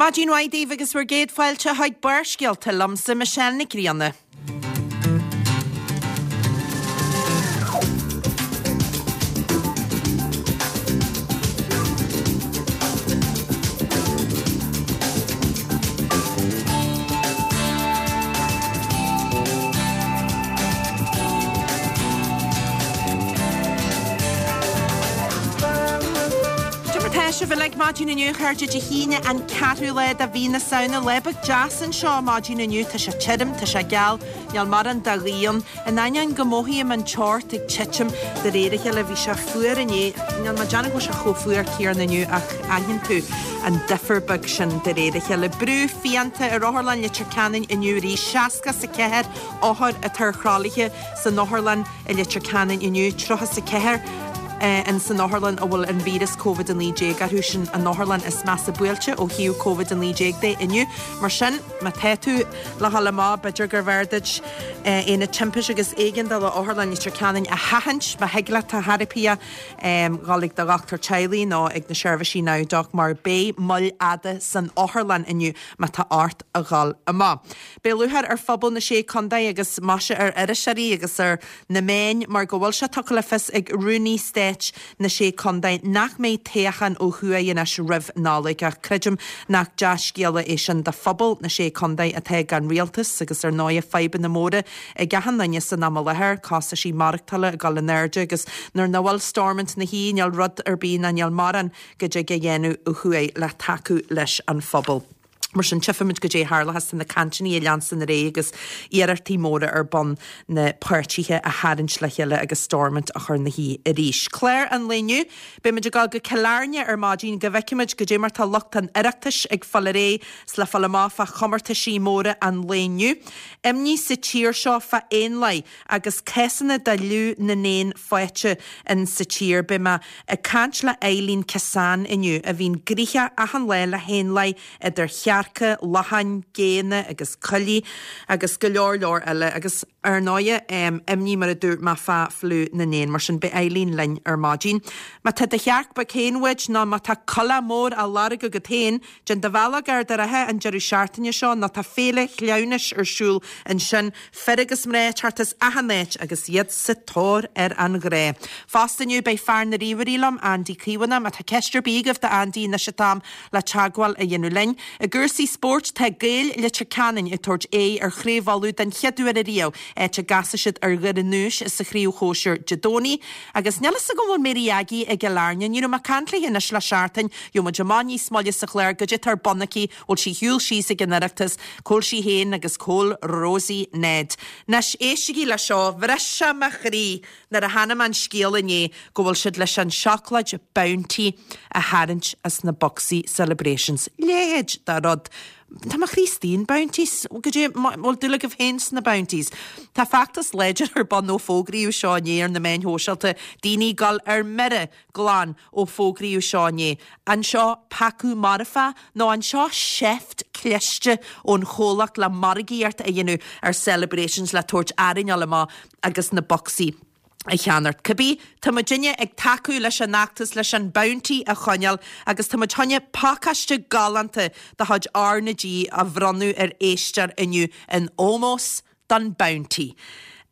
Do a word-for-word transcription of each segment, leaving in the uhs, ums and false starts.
Maidin mhaith daoibh agus bhur gcéad fáilte chuig Barrscéalta liomsa Michelle Nic Grianna. Cad é mar tá sibh uilig maidin inniu a chairde Dé hAoine an ceathrú lá de mhí na Samhna. Lá beag deas anseo maidin inniu. Tá sé tirim, tá sé geal, níl mórán de ghaoth ann. In ainneoin go mothaím an teocht ag titim de réir a chéile, bhí sé fuar inné. Níl mé ag déanamh go bhfuil sé chomh fuar céanna inniu ach aithníonn tú an difear beag sin de réir a chéile. Brú fiánta ar Otharlann Leitir Ceanainn inniu arís. Seasca is a ceathair othar atá ar thralaithe san otharlann i Leitir Ceanainn inniu, tríocha is a ceathair in san otharlann a bhfuil an víreas Covid a naoi déag orthu, sin an otharlann is measa buailte ó thaobh Covid a naoi déag de inniu. Mar sin, má tá tú le dhul amach, b'fhéidir gurbh fhearr duit Aonad Timpiste agus Éigeandála Otharlann Leitir Ceanainn a sheachaint, má thig leat a theiripeach dhul ag do dhochtúir teaghlaigh nó ag na seirbhísí NowDoc mar beidh moill fhada san otharlann inniu má tá ort a dhul amach. Beidh lúcháir ar phobal na Sé Contae agus maise ar iriseoirí agus ar na meáin mar go bhfuil sé tugtha le fios ag Rúnaí Stáit na Sé Contae nach mbeidh toghchán ó thuaidh anois roimh Nollaig ach creidim nach dea-scéala é sin do phobal na Sé Contae atá gan rialtas agus ar ndóigh fadhbanna móra ag achan duine san am i láthair, costaisí maireachtála ag dul in airde agus nuair nach bhfuil Stormont ina shuí níl rud ar bith ná níl mórán go dtig a dhéanamh ó thuaidh le tacú leis an phobal. Mar sin tchífimid goidé a tharlóchas na cainteanna a leanstan ar aghaidh agus iarrachtaí móra ar bun na páirtithe a tharraingt le chéile agus Stormont a chur ina shuí arís. Clár an lae inniu, Beimid ag dul go Cill Airne ar maidin go bhfeicfimid goidé mar tá lucht an Oireachtais ag fáil ar aghaidh 's le fáil amach fá chomórtaisí móra an lae inniu. Imní sa tír seo fá éanlaith agus cásanna de fhliú na n-éan faighte in sa tír. Beidh mé ag caint le Eileen Kissane inniu a bhíonn gnoitheach achan lá le héanlaith idir chearca, lachain, géanna agus coiligh agus go leor leor eile agus ar ndóighe imní mar a dúirt mé fá fliú na n-éan. Mar sin beidh Eileen linn ar maidin. Má tá do chearc beag féin uait nó má tá coileach mór á lorg agat féin, déan do bhealach go Ard an Rátha an deireadh seachtaine seo nó tá féile chleamhnais ar siúl ansin, fir agus mná ag teacht as achan áit agus iad sa tóir ar an ghrá. Fosta inniu beidh fear na ríomhairí liom, Andy Caomhánach. Má tá ceist ar bith agaibh do Andy anois an t-am le teagmháil a dhéanamh linn. I gcúrsaí spóirt tá Gaeil Leitir Ceanainn ag tabhairt aghaidh ar Chraobh Uladh den chéad uair ariamh, áit a gcasfaidh siad ar Dhoire Núis sa chraobh shóisir Dé Domhnaigh. Agus níl fhios agam an bhfuil Mary Aggie i gCill Airne. Ní raibh mé ag caint léi anois le seachtain. Gheobhaidh muid amach níos moille sa chlár goidé atá ar bun aici, bhfuil sí shiúl síos ag an Oireachtas, cá bhfuil sí féin agus cá bhfuil Rosie Ned. Anois éistigí le seo, bhris sé mo chroí nuair a chonaic mé an scéal inné go bhfuil siad leis an seacláid Bounty a tharraingt as na bocsaí Celebrations. Leithéid de rud. Tá mo chroí istigh in Bounties. Goidé bhfuil dúil agaibh féin sna Bounties. Tá feachtas láidir ar bun ó fógraíodh seo inné ar na meáin shóisialta, daoine ag dul ar mire glan ó fógraíodh seo inné. An seo peacú marfach nó an seo seift cliste ón chomhlacht le margaíocht a dhéanamh ar Celebrations le tabhairt orainn a dhul amach agus na bocsaí a cheannacht. Cibé, tá muidinne ag tacú leis an fheachtas leis an Bounty a choinneáil agus tá muid chun pacáiste galánta de chuid R na G a bhronnadh ar éisteoir inniu in ómós don Bounty.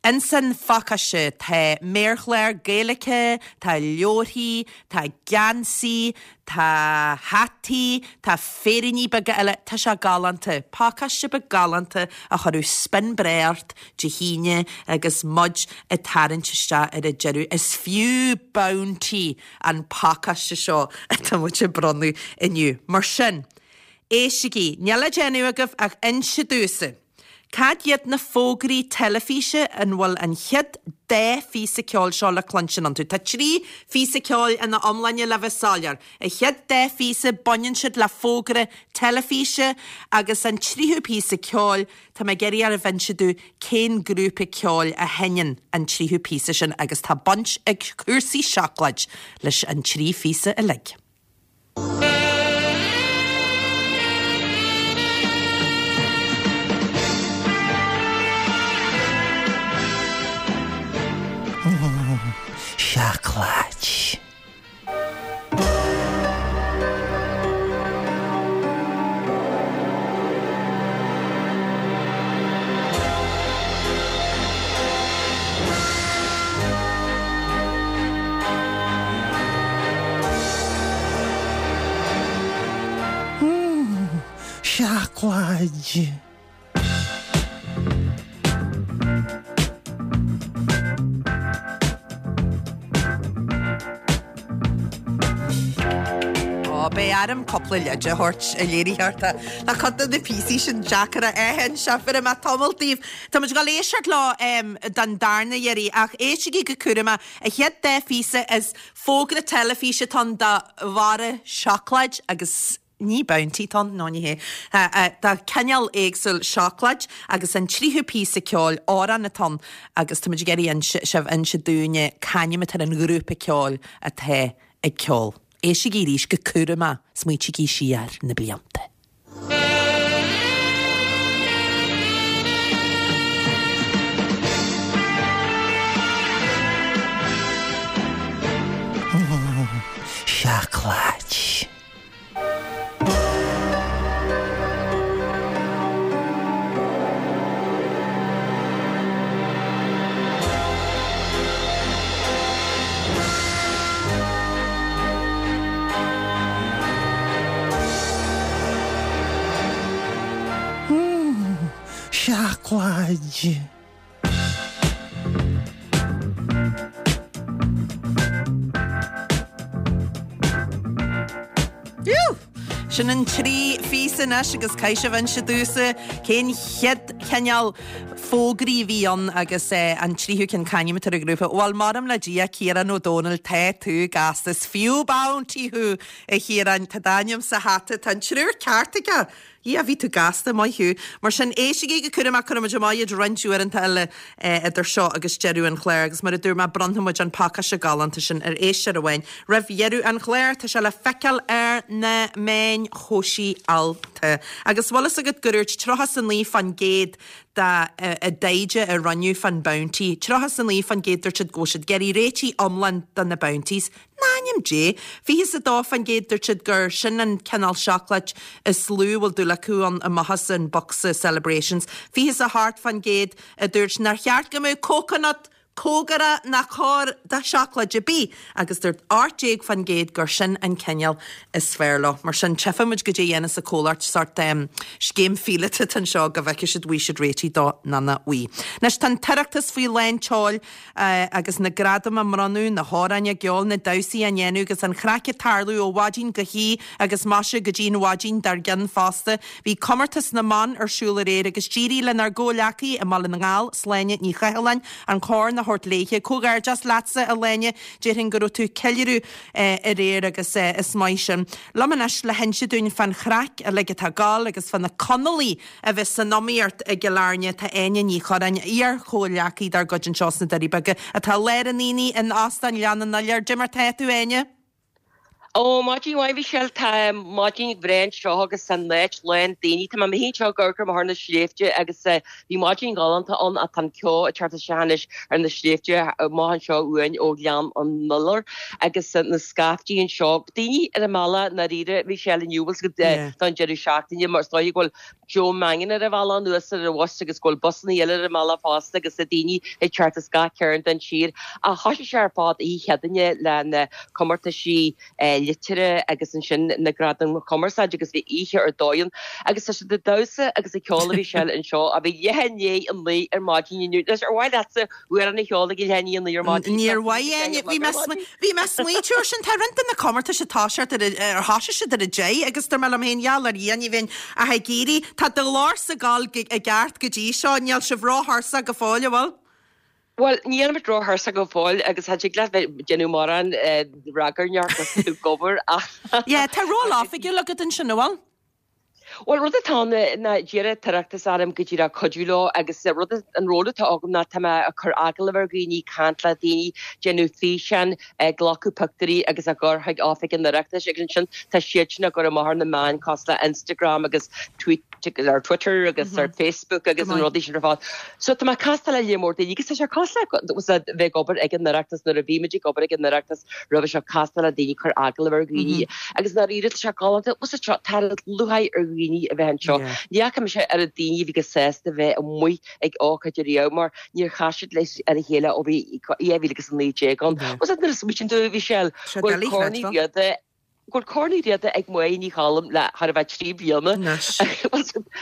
Insan phacáiste tá méarchlár Gaeilge, tá leabharthaí, tá geansaí, tá hataí, tá féiríní beaga eile, tá sé galánta. Pacáiste beag galánta a chuirfeadh spion breá ort Dé hAoine agus muid ag tarraingt isteach ar an deireadh. Is fiú Bounty an pacáiste seo atá muid ag bronnadh inniu. Mar sin, éistigí, níl le déanamh agaibh ach inse domhsa cad iad na fógraí teilifíse an bhfuil an chéad dá phíosa ceoil seo le cluinstin iontu. Tá trí phíosa ceoil ina iomláine le bheith soiléir. An chéad dá phíosa baineann siad le fógra teilifíse agus an tríú píosa ceoil tá mé ag iarraidh oraibh inse domh cén grúpa ceoil a sheinneann an tríú píosa sin agus tá baint ag cúrsaí seacláid leis an trí phíosa uilig. Seacláid. Seacláid! Ó, beidh orm cúpla leid a thabhairt a léiritheoir. Tá tá cuid de na píosaí sin deacair a aithint. Sea, bhéarfaidh mé tamall daoibh. Tá muid ag dul éisteacht leo em, don darna iarraidh ach éistigí go cúramach. An chéad dá phíosa is fógra teilifíse atá ann do bharra seacláid agus ní Bounty atá ann, nó ní hé. Do cineál éagsúil seacláid agus an tríú píosa ceoil, amhrán atá ann agus tá muid ag iarraidh sibh inse dúinne c'ainm atá ar an ghrúpa ceoil atá ag ceol. Éistigí arís go cúramach, smaoitígí siar na blianta. Seacláid. Seacláid. Sin an trí phíosa anois agus caithfidh sibh inse domhsa cén chéad chineál fógraí a bhí ann agus an tríú ceann c'ainm atá ar an ghrúpa. Bhuel, maram le Dia, Ciarán Ó Dónaill, tá tú gasta. Is fiú Bounty thú, a Chiaráin. Tá d'ainm sa hata. Tá an triúr ceart aige. Yeah, bhí tú gasta, maith thú. Mar sin, éistigí go cúramach, cuirfidh muid amach iad roinnt uaireanta eile idir seo agus deireadh an chláir agus mar a dúirt mé, bronnfaidh muid an pacáiste galánta sin ar éisteoir amháin roimh dheireadh an chláir. Tá sé le feiceáil ar na meáin shóisialta. Agus bhfuil fhios agat gur dúirt tríocha is a naoi fán gcéad de i dtaighde a rinneadh fán Bounty, tríocha is a naoi fán gcéad dúirt siad go bhfuil siad ag iarraidh réitigh iomlán do na Bounties. In ainm Dé! Fiche is a dó fán gcéad dúirt siad gur sin an cineál seacláid is lú a bhfuil dúil acu ann amach as an bocsa Celebrations. Fiche is a hocht fán gcéad a dúirt nár cheart go mbeadh cóconat cóngarach ná gar do sheacláid ar bith agus dúirt ocht déag fán gcéad gur sin an cineál is fearr leo. Mar sin, tchífidh muid goidé a dhéanfas an comhlacht sórt scéim phíolóta atá anseo go bhfeicfidh siad bhfuil siad réitithe dó nó nach bhfuil. Anois tá an tOireachtas faoi lán tseoil agus na gradaim á mbronnadh, na hamhráin á gceol, na damhsaí á ndéanamh agus an chraic ag tarlú ó mhaidin go hoíche agus maise go dtí an mhaidin dár gcionn fosta. Bhí Comórtas na mBan ar siúl aréir agus d'éirigh lenár gcomhghleacaí i mBaile na nGall, Sláine Ní Chathalláin, an corn a thabhairt léithe. Comhghairdeas leatsa, a Shláine, déarfainn go raibh tú ag ceiliúradh aréir agus is maith sin. Liom anois le hinse dúinn fán chraic uilig atá ag gabháil agus fá na Conallaigh a bheas san iomaíocht i gCill Airne, tá Áine Ní Churráin, iar-chomhghleacaí dár gcuid anseo sna Doirí Beaga, atá i lár an aonaigh in Óstán Ghleann an Iolair. Dé mar tá tú, a Áine? Ó, maidin mhaith, a Mhichelle. Tá maidin bhreá anseo agus an áit lán daoine. Tá mé féin anseo ag amharc amach ar na sléibhte agus bhí maidin ghalánta ann ach tá an ceo ag teacht isteach anois ar na sléibhte amach anseo uainn ó Ghleann an Iolair agus na scaiftí anseo. Daoine ar an mbealach i ndáiríre, a Mhichelle, inniu, bhfuil 's agat, don deireadh seachtaine mar is dóigh go bhfuil Joe Mangan ar a bhealach anuas ar an bhus agus go bhfuil busanna eile ar an mbealach fosta agus na daoine ag teacht as gach cearn den tír. Ach thoisigh sé ar fad oíche Chéadaoine le na comórtaisí liteartha agus ansin na gradaim cumarsáide agus bhí oíche ar dóigh ann agus tá siad ag damhsa agus ag ceol a Mhichelle anseo a bhí leath i ndiaidh a naoi ar maidin inniu. Anois ar mhaith leatsa amhrán a cheol ag leath i ndiaidh a naoi ar maidin? Níor mhaith Áine. Bhí mé bhí mé ag smaointiú air sin. Tá roinnt de na comórtais ag toiseacht ar ar thoisigh siad ar a deich agus dúirt mé liom féin, gheall ar Dhia ní bheinn ach ag iarraidh. Tá do ghlórsa ag gabháil i gceart go dtí seo. Níl sibh róthuirseach go fóill, an bhfuil? Bhuel, níl muid róthuirseach go fóill agus cha dtig leat bheith ag déanamh mórán ragairneach agus tú ag obair ach. Yeah, tá ról oifigiúil agat ansin, an bhfuil? Bhuel, rud atá ann ná d'iarr an tOireachtas orm go díreach cuidiú leo agus rud, an ról atá agam ná tá mé ag cur agallamh ar dhaoine, caint le daoine, déanamh físeán, ag glacadh pictiúirí agus á gcur chuig Oifig an Oireachtais agus ansin tá siad sin á gcur amach ar na meáin cosúil le Instagram agus Tweet ar Twitter agus ar Facebook agus na rudaí sin ar fad. So tá mé ag castáil le lear mór daoine agus tá sé cosúil le bheith ag obair ag an Oireachtas nuair a bhí muid ag obair ag an Oireachtas roimhe seo castáil le daoine cur agallamh ar dhaoine agus ndáiríre tá sé galánta bhfuil tá lúcháir ar dhaoine a bheith anseo. Ní fhaca mise oiread daoine a bhí chomh sásta bheith amuigh ag ócáid ariamh mar níor chas siad le ar a chéile ó bhí dhá mhíle agus a naoi déag ann. Bhfuil nuair a smaoitíonn tú a Mhichelle, go bhfuil Corn Uí Riada go bhfuil Corn Uí Riada ag Máire Ní Choilm le thar a bheith trí bliana.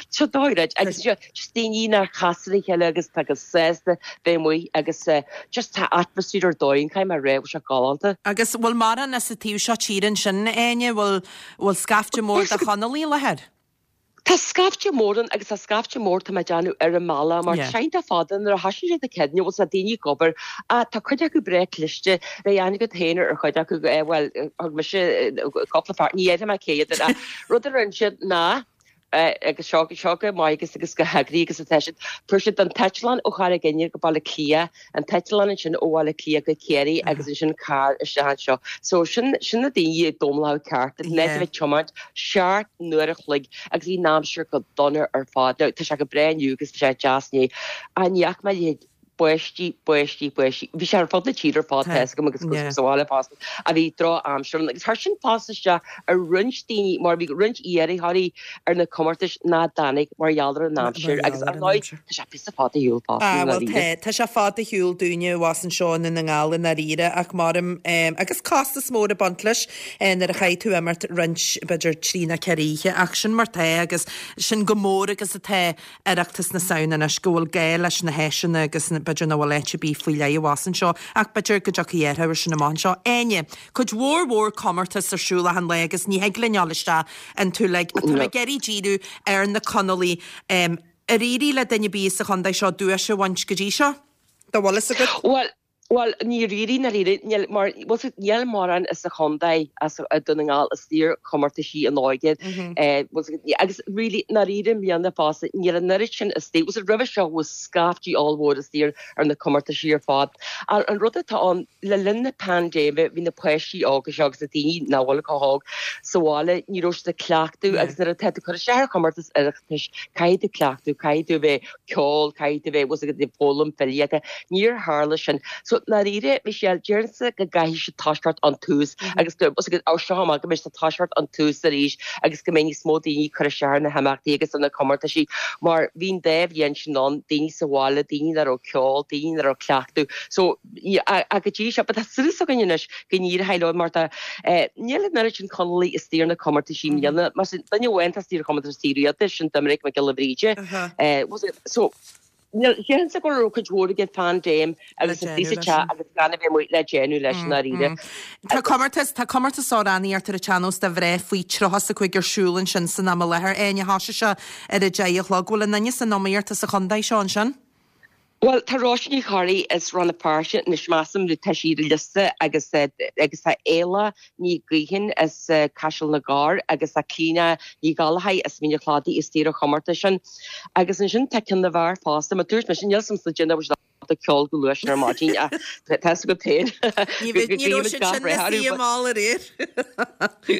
Seo dóigh agus just daoine nach chas le chéile agus tá go sásta bheith amuigh agus just tá atmaisféar ar dóigh caithfidh mé a rá bhfuil sé galánta. Agus bhfuil mórán as an taobh seo tíre ansin Áine, bhfuil bhfuil scaifte mór de Chonallaigh i láthair? Tá scaifte mór ann agus tá scaifte mór tá mé ag déanamh ar an mbealach mar tá sé iontach fada nuair a thosaíonn siad ag céad bhfuil sa daoine ag obair tá cuid acu breá cliste beidh aithne agat féin ar chuid acu bhuel thug mise cúpla fear ní dhéarfaidh mé cé hiad ach rud a rinne siad ná agus seo seo go maith agus agus go heagraithe agus atá siad fuair siad an t-eitleán ó Charraig Fhinn go Baile Átha Cliath an t-eitleán ansin ó Bhaile Átha Cliath go Ciarraí agus ansin carr isteach anseo. So sin sin na daoine ag domlach ceart a bheith tiomáint seacht n-uair a chloig agus bhí an aimsir go dona ar fad. Now tá sé go breá inniu agus bhí sé deas inné. Ach ní fhaca mé a leithéid báistí, báistí, báistí. Bhí sé ar fud na tíre ar fad tá a fhios agam agus sa bhaile fosta a bhí drochaimsir ann agus chuir sin fosta isteach ar roinnt daoine mar bhí roinnt iarrthóirí ar na comórtais nach dtáinig mar gheall ar an aimsir agus ar ndóigh tá sé píosa fada ar shiúl fosta i ndáiríre. Tá sé fada ar shiúl dúinne abhus anseo i nDún na nGall i ndáiríre ach maram agus costas mór ag baint leis nuair a chaithfidh tú imeacht roinnt b'fhéidir trí nó ceithre oíche ach sin mar tá agus sin go mór agus atá Oireachtas na Samhna anois go bhfuil gá leis na háiseanna agus b'fhéidir nach bhfuil áit ar bith faoi leith abhus anseo ach b'fhéidir go dtiocfaidh athrú air sin amach anseo. Áine, Cuid mhór mhór comórtas ar siúl achan lá agus ní thig linn dul isteach iontu uilig ach tá mé ag iarraidh díriú ar na Conallaigh. Ar éirigh le duine ar bith sa chontae seo duais a bhaint go dtí seo? Dá bhfuil fhios agat? Bhuel, bhuel, níor éirigh, níor éirigh, níl, mar, bhfuil fhios agat, níl mórán as an chontae, as Dún na nGall, istigh ar chomórtaisí an óige, bhfuil fhios agat, agus really, ndáiríre i mbliana fosta, níl an oiread sin istigh, bhfuil fhios agat, roimhe seo bhí scaiftí ollmhór istigh ar, ar na comórtaisí ar fad. An rud atá ann, le linn na paindéime, bhí na páistí óga seo agus na daoine nach bhfuil chomh hóg sa bhaile, ní raibh siad ag cleachtadh agus nuair atá tú ag cur isteach ar chomórtas Oireachtais, caithfidh tú cleachtadh, caithfidh tú a bheith ceol, caithfidh tú a bheith, bhfuil fhios agat, ag foghlaim filíochta. Níor tharla sin. So, ndáiríre, Michelle, déarfainnse go gcaithfidh siad toiseacht ón tús agus go, bhfuil fhios agat, ó seo amach go mbeidh siad ag toiseacht ón tús arís agus go mbeidh níos mó daoine ag cur isteach ar na himeachtaí agus ar na comórtaisí mar bhí an dá bhliain sin ann, daoine sa bhaile, daoine nach raibh ceol, daoine nach raibh cleachtadh. So, ach go dtí seo, but tá súil againn anois go n-éireoidh leo mar tá, níl an oiread sin Conallaigh istigh ar na comórtaisí i mbliana. Mar sin, duine amháin atá istigh ar chomórtas Uí Riada, sin Doiminic Mac Giolla Bhríde. So, níl, déarfainnse go raibh cuid mhór ag an phaindéim agus an phíosa te agus gan a bheith amuigh le déanamh leis i ndáiríre. Tá comórtas, tá comórtas amhránaíochta ar an tsean-nós do mhná faoi tríocha is a cúig ar siúl ansin san am i láthair. Áine, thosaigh sé ar a deich a chlog. Bhfuil aon duine san iomaíocht as an chontae seo ansin? Bhuel, tá Róisín Ní Chorraí as Rann na Feirste anois measaim, nó tá sí ar an liosta agus agus tá Éala Ní Ghaoithin as Caiseal na gCorr agus tá Clíona Ní Ghallchóir as Mín an Chladaigh istigh ar an chomórtas sin. Agus ansin tá ceann na bhfear fosta, mar dúirt mise, níl 's a'm sa déanamh ag ceol go luath sin ar maidin ach tá 'fhios agat féin Ní bheidh, ní raibh siad sin le suí i mall aréir.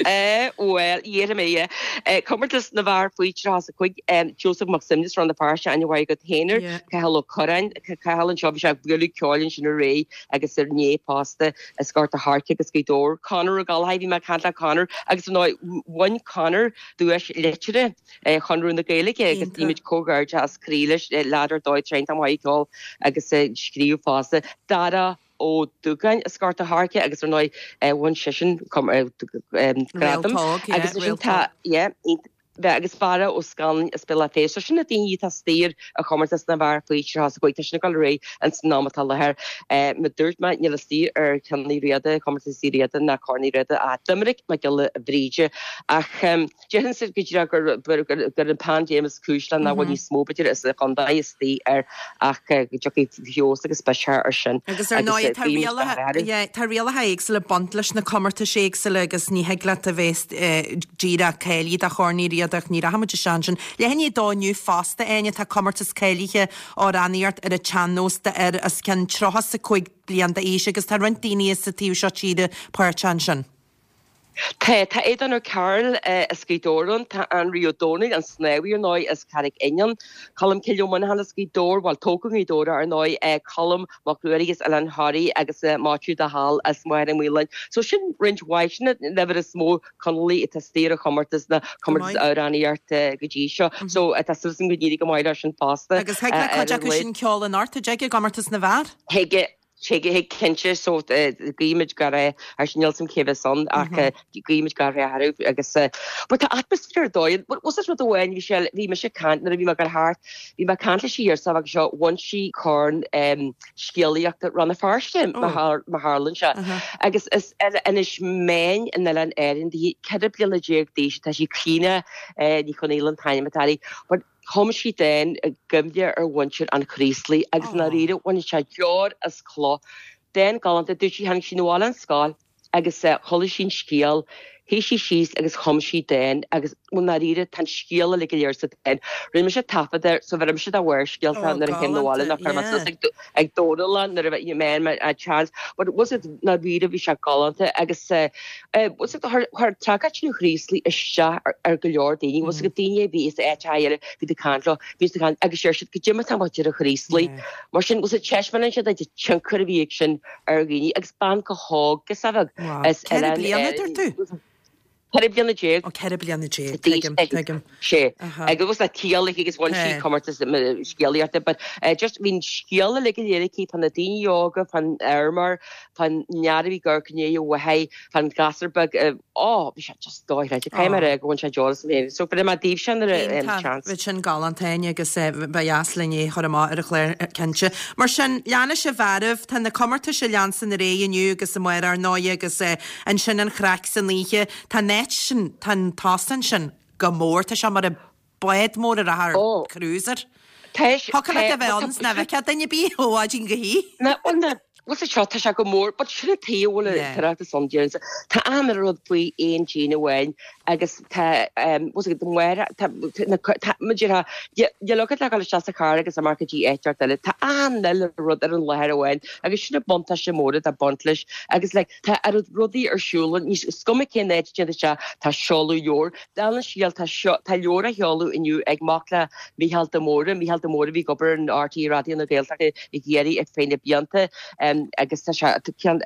Eh, bhuel, dhéarfaidh mé, yeah. Eh, comórtas na bhfear faoi tríocha is a cúig, Joseph Mac Suibhne as Rann na Feirste, aithne mhaith agat féin air, Yeah. Cathal Ó Curráin, Cathal anseo, bhí sé ag bualadh ceoil ansin aréir agus inné fosta as Gort a' Choirce agus Gaoth Dobhair. Conor Ó Gallchóir, bhí mé ag caint le Conor agus ar ndóigh bhain Conor duais liteartha Chonradh na Gaeilge agus Iontach. guímid comhghairdeas as croí leis, leaid ar dóigh, tá sé iontach maith ag ceol agus ag scríobh fosta. Dara Ó Dúgáin as Gort a' Choirce agus ar ndóigh bhain seisean gradam Réalt óg, yeah, agus ansin réalt tá óg. yeah, bheith agus Barra Ó Scanláin as Béal Átha Féis. So sin na daoine atá istigh ar chomórtas na bhfear faoi tríocha is a cúig. Tá sin ag dul ar aghaidh ins an am atá i láthair. Mar dúirt mé, níl istigh ar Cheann Uí Riada, comórtas Uí Riada ná Corn Uí Riada ach Doiminic Mac Giolla Bhríde. Ach déarfainnse go díreach gur gur an paindéim is cúis le nach bhfuil níos mó b'fhéidir as an chontae istigh air ach go dtiocfaidh feabhas agus biseach air sin Agus ar agus ndóigh tá guímid rialacha gach rath orthu. yeah, tá rialacha éagsúla ag baint leis na comórtais éagsúla agus ní thig leat a bheith díreach cáilithe do Chorn Uí Riada ach ní rachaimid isteach ansin. Leath i ndiaidh a dó inniu fosta, Áine, tá comórtas cáilithe amhránaíocht ar an tsean-nós d'fhir os cionn tríocha is a cúig bliain d'aois agus tá roinnt daoine as an taobh seo tíre páirteach ansin. Tá, tá Aodán Ó Cearúil as Gaoth Dobhair ann, tá Anraí Ó Domhnaill, an snámhaí ar ndóigh, as Carraig Fhinn ann, Colm Cille Ó Muineacháin as Gaoth Dobhair, bhuel, tógtha i nGaoth Dobhair ar ndóigh, Colm Mac Ruairí as Oileán Thoraí agus Maitiú de Hál as Machaire Maoláin. So sin roinnt mhaith, sin an uimhir is mó Conallaigh atá istigh ar an chomórtas, na Go comórtas maith. amhránaíochta go dtí seo. So tá súil agam go n-éireoidh go maith leo sin fosta Agus thig le ar cuid an acu lae. sin ceol anocht, an dtig, i gcomórtas na bhfear? Thig, Tuig cinnte so guímid go raibh ar sin níl 'fhios a'm cé bheas ann ach guímid go raibh orthu agus but tá atmaisféar ar dóigh was rud amháin bhí sé bhí mise ag caint nuair a bhí mé ag dul thart bhí mé ag caint le sí ar agus seo bhain sí corn scéalaíochta Rann na Feirste má tharlaíonn sé agus is Inis Meáin in Oileán Árann di ceithre bliana déag d'aois tá sí Clíona Ní Chonghaile an t-ainm atá uirthi but Chum sí dán i gcuimhne ar mhuintir an Chraoslaigh agus i ndáiríre bhain sé deoir as cloch. Dán galánta, dúirt sí, tháinig sí 'na bhaile ón scoil agus chuala sí an scéal, shuigh sí síos agus chum sí dán agus i ndáiríre tá an scéal uilig go léir sa dán. Rinne mise taifead air so bheir mise do Bharrscéalta nuair a théim 'na bhaile nó chuir mé suas ag Dónal é nuair a bheidh mé a chance. But was it ndáiríre bhí sé galánta agus was it chuir tragóid an Chraoslaigh isteach ar go leor daoine was it daoine a bhí is áit eile bhí ag caint leo bhí ag caint agus deir siad goidé mar atá muintir an Chraoslaigh. Mar sin was it taispeánann sé duit an tionchar a bhí ag sin ar dhaoine agus bean chomh hóg is a bheadh is Ceithre bliana dúirt tú? Ceithre bliana déag. Ó ceithre bliana déag, tuigim, tuigim. Sé. Agus was tíalaigh agus bhain sí comórtas scéalaíochta but just bhí an scéal uilig go léir aici fá na daoine óga, fán fheirmeoir, fán fhear a bhí ag amharc i ndiaidh a mhaithe, fán ghasúr beag, ó bhí sé just dochreidte. Caithfidh mé a rá go bhain sé deoir asam féin. So bhí mé daoibhse nuair a Iontach, chance. Bheadh sin galánta Áine agus ba dheas linn é a chur amach ar an chlár cinnte. Mar sin, leanfaidh sibh oraibh, tá na comórtais ag leanstan ar aghaidh inniu agus amárach ar ndóigh agus ansin an chraic san oíche. Tá an áit sin, tá an t-óstán sin go mór, tá sé mar bád mór a rachadh ar Ó. cruiser. Tá sé- Thiocfadh leat a bheith tá- ann 's ná bhfeicfeá duine ar bith ó mhaidin go hoíche. Na, bhuel, na, bhuel, sa seo, tá sé go mór, but sin an taobh a bhfuil an Yeah. tOireachtas ann, déarfainn. Tá achan rud faoi aon díon amháin agus tá, um, bhuel, sa Mháire, tá, tá, na, tá, mar a déarfá, níl agat le dhul isteach sa charr agus amach go dtí áit inteacht eile. Tá achan uile rud ar an láthair amháin agus sin an buntáiste mór atá ag baint leis agus like, tá oiread rudaí ar siúl, ní is cuma cén áit a dtéann tú isteach, tá seoladh leabhar. Dála an scéil, tá seo, tá leabhar á sheoladh inniu ag mac le Mícheál de Mórdha, Mícheál de Mórdha a bhí ag obair in RTÉ Raidió na Gaeltachta i gCiarraí ar feadh na blianta agus tá sé, ceann,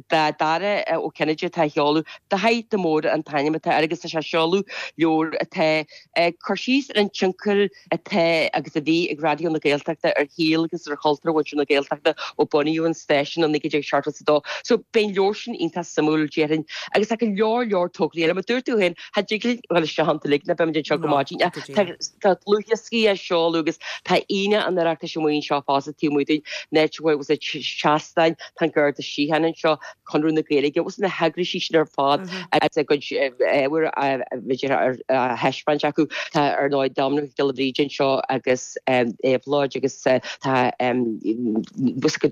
Dara Ó Cinnéide atá á sheoladh, Daithí de Mórdha an t-ainm atá air agus tá sé ag seoladh leabhar atá ag cur síos ar an tionchar atá agus a bhí ag Raidió na Gaeltachta ar shaol agus ar chultúr mhuintir na Gaeltachta ó bunaíodh an stáisiún i naoi déag seachtó a dó. So beidh an leabhar sin iontach suimiúil déarfainn agus tá go leor leor tograí eile. Mar dúirt tú féin, cha dtig linn dul isteach iontu uilig ná beimid anseo go maidin. Tá tá dlúthdhioscaí á seoladh agus tá Aoine an Oireachtais amuigh anseo fosta taobh amuigh dúinn, an áit a bhfuil seastáin, tá an Garda Síochána anseo, Conradh na Gaeilge, agus na heagraisí sin ar fad agus a gcuid ábhair b'fhéidir á thaispeáint acu. Tá ar ndóigh Dominic Mac Giolla Bhríde anseo agus Éabhlóid agus tá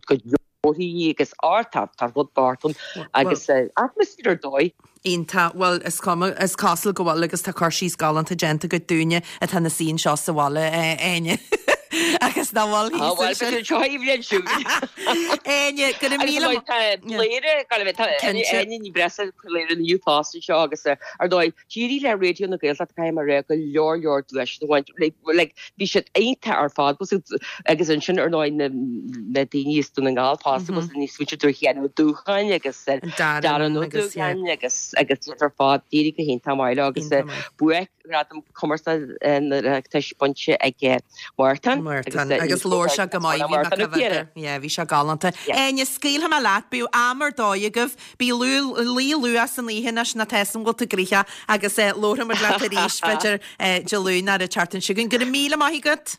go leor agus ár tá tá rud bocht ann agus atmaisféar ar dóigh. Iontach, bhuel is cuma, is cosúil go bhfuil agus tá cur síos galánta déanta agat dúinne atá ina suí anseo sa bhaile, Áine. Agus ná bhfuil Ah, thíos bhuel, ansin. b'fhéidir seo í bhliain siúd. Áine, go raibh Agus míle tá Bladhaire, go raibh tá Cinnte. Áine Ní Bhreisleáin Bladhaire inniu fosta anseo agus eh, ar ndóigh, d'éirigh le Raidió na Gaeltachta caithfidh mé a rá go leor leor duaiseanna a bhaint. Like, like, bhí siad iontach ar fad was it- agus ansin ar ndóigh na na daoine as Dún na nGall fosta was níos muintir Dúiche Sheáin Ó Dúcháin agus eh, Darren Darren Ó agus, yeah. Dúcháin agus agus iad ar fad d'éirigh go hiontach maith leo agus eh, Iontach maith. buaic Gradam Cumarsáide na hOireachtais bainte ag Mártan. Mártan agus labhair sé go maith bhí mé coimhéad. Yeah, bhí sé galánta. Áine, scaoilfidh mé leat, bíodh am ar dóigh agaibh, bí luí luath san oíche anois ná tá san bhfuil tú gnoitheach agus labharfaidh muid leat arís b'fhéidir Dé Luain nó an tseachtain seo chugainn. Go raibh míle maith agat!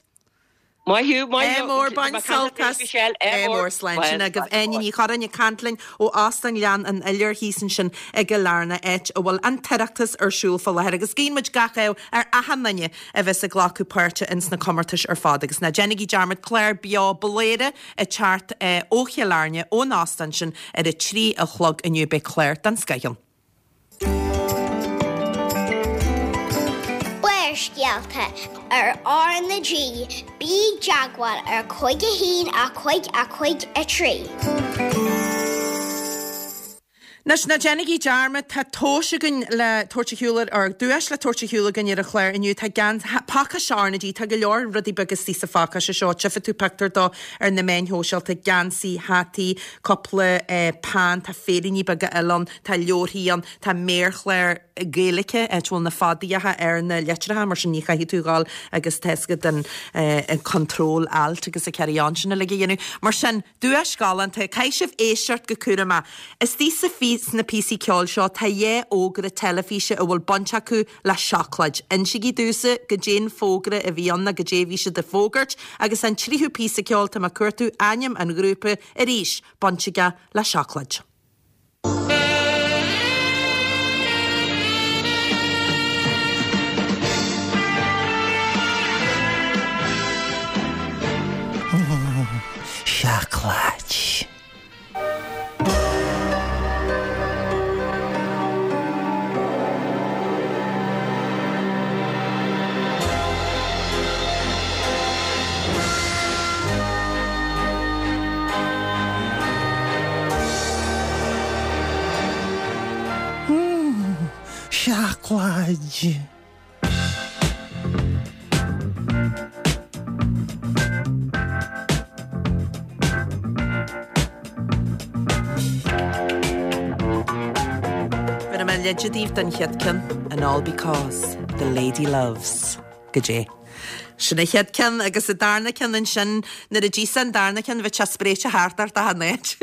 Maith thú, maith Ádh mór, bain sult as. Michelle, Ádh mór, slán. Sin agaibh Áine Ní Churráin ag caint linn ó Óstán Ghleann an Iolair thíos ansin i gCill Airne, áit a bhfuil an tOireachtas ar siúl fá láthair agus guíonn muid gach ádh ar achan duine a bheas ag glacadh páirte ins na comórtais ar fad agus ná déanaigí dearmad clár beo Bladhaire ag teacht ó Chill Airne ón óstán sin ar a trí a chlog inniu beidh clár den scoth ann. Barrscéalta ar R na G, bí i dteagmháil ar cúig a haon a cúig a cúig a trí. Anois, ná déanaigí dearmad, tá tomhais againn le tabhairt ar shiúl ar, or duais le tabhairt ar shiúl againn ar an chlár inniu. Tá gan, pacáiste R na G, tá go leor rudaí beaga istigh sa phacáiste seo. Tchífidh tú pictiúr dó ar na meáin shóisialta, geansaí, hataí, cúpla eh, peann, tá féiríní beaga eile ann, tá leabharthaí ann, tá méarchlár Gaeilge, áit a bhfuil na fadaíocha ar na litreacha, mar sin ní chaithfidh tú dhul agus tá a fhios agat an, eh, an control alt agus a carry on sin uilig a dhéanamh. Mar sin, duais galánta, caithfidh sibh éisteacht go cúramach. Istigh sa phí, sna píosaí ceoil seo tá dhá fhógra teilifíse a bhfuil baint acu le seacláid. Insígí domhsa goidé an fógra a bhí ann nó goidé a bhí siad ag fógairt agus an tríú píosa ceoil tá mé ag cuartú ainm an ghrúpa arís baint aige le seacláid. Seacláid. Seacláid. Bhéarfaidh mé leid daoibh don chéad ceann, and all because the lady loves. Goidé. Sin an chéad ceann agus an darna ceann ansin nuair a d'íosfá an darna ceann bheadh sé spréite thart ort achan áit.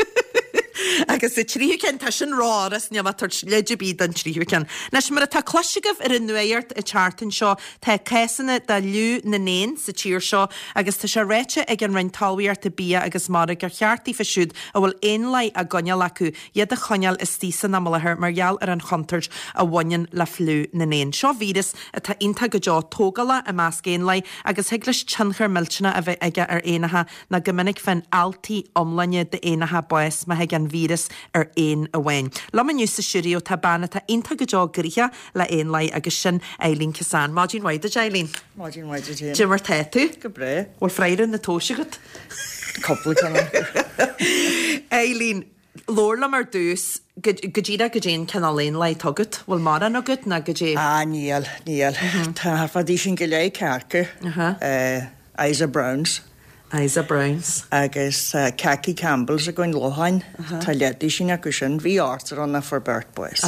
Agus an tríú ceann tá sin rófhurast níl mé ag tabhairt leid ar bith don tríú ceann. Anois mar atá cloiste agaibh ar an nuacht an tseachtain seo tá cásanna de fhliú na n-éan sa tír seo agus tá sé ráite ag an Roinn Talmhaíochta Bia agus Mara gur cheart daofa siúd a bhfuil éanlaith á gcoinneáil acu iad a choinneáil istigh san am i láthair mar gheall ar an chontúirt a bhaineann le fliú na n-éan. Seo víreas atá iontach go deo tógálach i measc éanlaith agus thig leis tionchar millteanach a bheith aige ar éanacha ná go minic faigheann ealtaí iomláine d'éanacha bás má thig an víreas ar éan amháin. Liom inniu sa stiúideo tá bean atá iontach go deo gnoitheach le éanlaith agus sin Eileen Kissane. Maidin mhaith duit Eileen. Maidin mhaith duit. Goidé mar tá tú? Go breá. Bhfuil freagra na tomhaise agat? Cúpla ceann. Eileen, labhair liom ar dtús go díreach goidé an cineál éanlaith atá agat, bhfuil mórán agat ná goidé? Ah níl, níl. Tá fadaí sin go leith cearca. Isa Browns. Isa Browns. Agus uh, Khaki Campbells againn locháin. Tá leidí sin acu sin, bhí ochtar ann fuair beirt bás.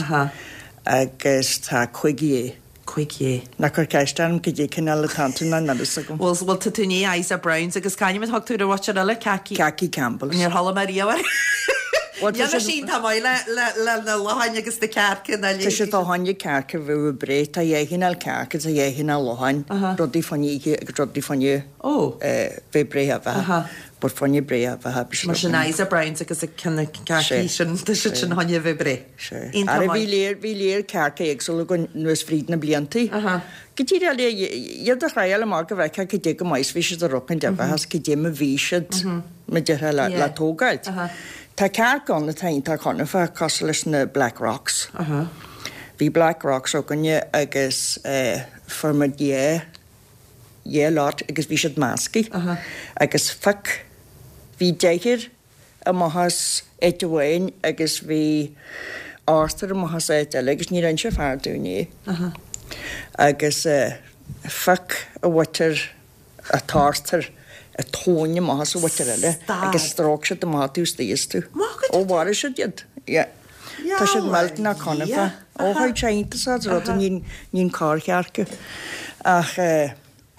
Agus tá cúig dhé. Cúig dhé. Ná cuir ceist orm goidé cineál atá iontu ná níl a fhios agam. Bhuel, bhuel tá tú i ndiaidh Isa Browns agus c'ainm a thug tú ar an mhuintir eile Khaki? Khaki Campbells. Níor chuala mé riamh air. Níl mé sin tá maith le le le na locháin agus na cearca na Tá siad fá choinne cearca bheith breá, tá dhá chineál cearca, tá dhá chineál locháin, rudaí fá choinne oíche agus rudaí fá choinne bheith breá a bheatha. But fá choinne breá a bheatha. Mar sin Isa Browns agus a ceann cearcaí sin tá siad sin choinne bheith breá. Ara bhí léir bhí léir cearca éagsúla againn anuas fríd na bliantaí. Go díreach le iad a thriáil amach go bhfeicfeá goidé go maith is bhí siad ag rocaint a bheatha is goidé mar bhí siad mar déarfá le le tógáilt. Tá cearc ann atá iontach conafach cosúil leis na Black Rocks. Bhí Black Rocks againne agus fuair muid dhá dhá lot agus bhí siad measctha. Agus phioc bhí deichniúr amach as áit amháin agus bhí ochtar amach as áit eile agus níor inse fear dúinn é. Agus phioc a mhuintir an t-ochtar an tóin amach as an mhuintir eile agus stróic siad amach taobh istigh astu. Ó mharaigh siad iad. Yeah. Tá siad millteanach conafach. Ó chuaigh sé iontas as rud ní ní corrchearca. Ach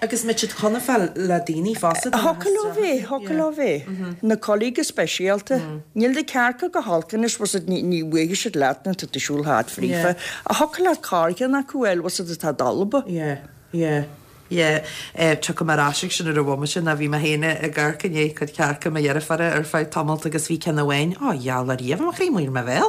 Agus an mbeadh siad conafach le daoine fosta? Thiocfadh leo bheith, thiocfadh leo bheith. Na coiligh go speisialta. Níl na cearca go holc anois, bhfuil siad, ní ní bhuailfidh siad leat nuair atá tú ag siúl thart fríofa. Ach thiocfadh leat corrcheann acu a fháil, bhfuil siad atá dalba. Yeah, yeah. Yeah, tiocfaidh mé ar ais ag sin ar an bhomaite ná bhí mé féin ag amharc i ndiaidh cuid cearca mo dheirféara ar feadh tamalt agus bhí ceann amháin, ó gheall ar riamh mo chroí amuigh ar mo bhéal.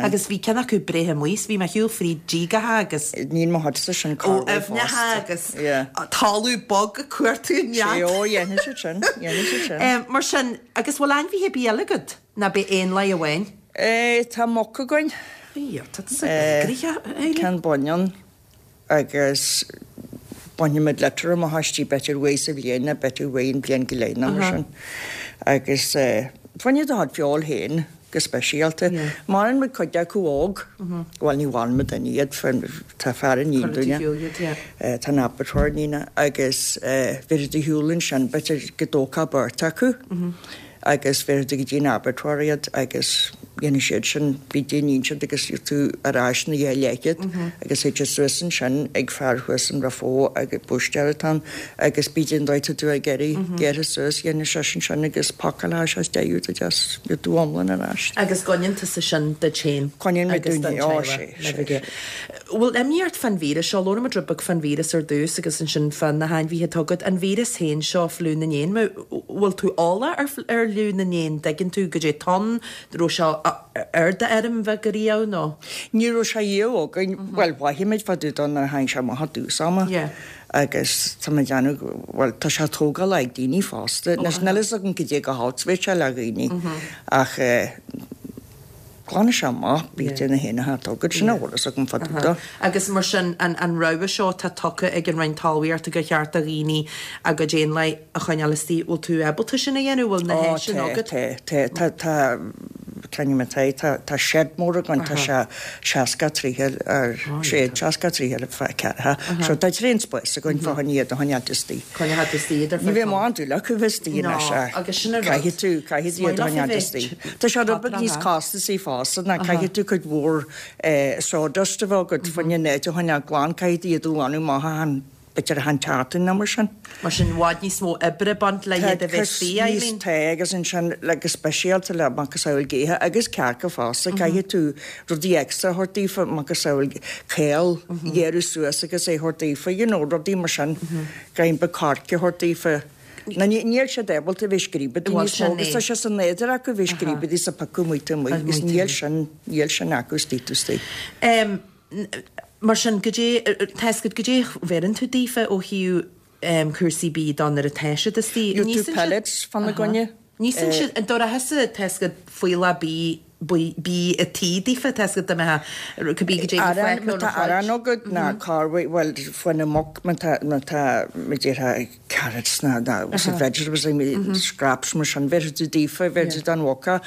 Agus bhí ceann acu breithe amuigh 's bhí mé ag siúl fríd díogacha agus. Níl mo chuidse sin ó corrmhaith aibhneacha fosta. agus Yeah. talamh bog ag cuartú nead. Sé, ó dhéanfaidh siad sin, dhéanfaidh siad sin. Mar sin, agus bhfuil ainmhithe ar bith eile agat? Ná b'é éanlaith amháin? Eh, tá muc againn. Bhí, tá tusa gnoitheach, Eileen. Ceann baineann agus bainimid litter amach aisti b'fhéidir uair sa bhliain nó b'fhéidir uair an bhliain go leith nó mar sin. Agus fá choinne do chuid feoil féin, go speisialta. Maraíonn muid cuid acu óg, bhuel ní mharaíonn muid duine iad, tá fear i ndiaidh Cuireann tú duine. shiúl iad, yeah. Tá an abattoir ní agus bheir tú shiúl ansin b'fhéidir go dtógfá beirt acu agus bheir tú go dtí an abattoir iad agus dhéanfaidh siad sin, bhí déanaíonn siad agus tú ar ais na dhá leithchead agus théid siad suas ansin ag fear thuas in Raphoe agus búistéir atá ann agus bíd an dóigh tú ag iarraidh gearrtha suas dhéanfaidh seisean sin agus pacáil sé deireadh do deas tú iomlán ar ais. Agus coinníonn tusa sin duit féin. Coinníonn muid agus dúinn don féin, ó, teaghlach, sé, le sé, bheith. Bhfuil imní ort fán víreas seo, labhair muid rud beag fán víreas ar dtús agus ansin fá na hainmhithe atá agat. An víreas féin seo fliú na n-éan, bhfuil tú eolach ar, ar fhliú na n-éan, dtuigeann tú goidé atá ann, raibh sé ar d'fheirm bheag ariamh nó? Ní raibh sé riamh againn, bhuel mhothaigh muid fá dtaobh dó nuair a tháinig sé amach i dtús ama. Yeah. Agus tá mé ag déanamh, bhuel tá sé á tógáil ag daoine fosta. Anois níl fhios agam cad é go holc bheadh sé le dhaoine ach eh, glanfaidh sé amach bíte na héanacha atá agat, sin a bhfuil fhios agam fá dtaobh dó. Agus mar sin an, an rogha seo tá tugtha ag an Roinn Talmhaíochta gur cheart do dhaoine a gcuid éanlaith a choinneáil istigh, bhfuil tú ábalta sin a dhéanamh, bhfuil na Ó, háiseanna tá, agat? tá, tá, tá, tá, ceann mé tá, tá, tá shed mór againn, tá sé seasca tríocha ar sé seasca tríocha ar feadh ceathracha. So tá tréan spáis againn fá choinne iad a choinneáil istigh. Coinneáil istigh ar Ní bheidh mórán dúil acu bheith istigh No, anois, ach agus sin an rud. Caithfidh tú, caithfidh tú iad a Is maith leofa choinneáil bheith istigh. Tá sé rud beag níos costasaí fosta ná caithfidh tú cuid mhór eh, sawdust a bheith agat fá choinne an áit a choinneáil glan, caithfidh tú iad a ghlanadh amach achan b'fhéidir achan tseachtain nó mar sin. Mar sin bhfad níos mó oibre baint le iad a bheith istigh, níos Eileen. tá agus ansin le go speisialta le macasamhail géithe agus cearca fosta, caithfidh tú rudaí extra a thabhairt daofa, macasamhail caol, ghearradh suas agus é a thabhairt daofa, you know, rudaí mar sin, greim beag coirce a thabhairt daofa. Na ní níl siad ábalta bheith scríobadí Bhuel, níos mó, sin agus é. tá sé san nádúr acu bheith scríobadí sa piocadh amuigh taobh amuigh, agus níl sin, níl sin acu istigh taobh istigh. Um, mar sin goidé tá fhios agat goidé bheireann tú daofa ó thaobh um, cúrsaí bídh de nuair atá siad istigh. Gheobhaidh tú pellets fána gcoinne. Níosann siad an dóra thusa tá fhios agat faoila bí bí a tí daofa tá fhios agat do cibé goidé Arán, má tá arán agat ná carway, well, faoina muc, má tá, má tá, má déarfá carrots ná, ná, uh vegetables, mm scraps mar sin, bheirfidh tú daofa, bheirfidh tú don mhuca,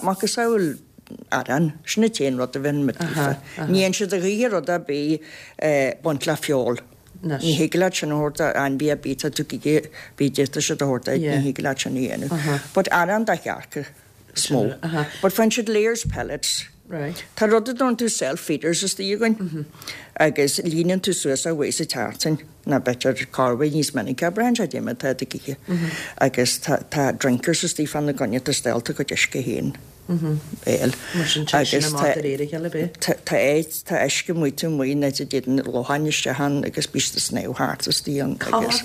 macasamhail arán, sin an t-aon rud a bhíonn muid daofa. Ní dhéanann siad a ghaoithe rud ar bith baint le feoil. Ní thig leat sin a thabhairt do ainmhí ar bith, tá tú ag bí déanta siad a thabhairt duit, ní thig leat sin a dhéanamh. But arán do chearca is mó. But faigheann siad layers pellets. Right. Tá rud a dtugann tú self-feeders istigh againn agus líonann tú suas a uair sa tseachtain ná b'fhéidir corruair níos minice, braitheann sé cad é mar atá do ghaoithe. Agus tá, tá drinkers istigh fána gcoinne tá steallta cuid uisce féin. Béal. Mar sin tá sin amach de réir a chéile bith. Tá tá áit tá uisce amuigh taobh amuigh na a dtéann locháin isteach ann agus bíonn siad ag snámh thart istigh ann agus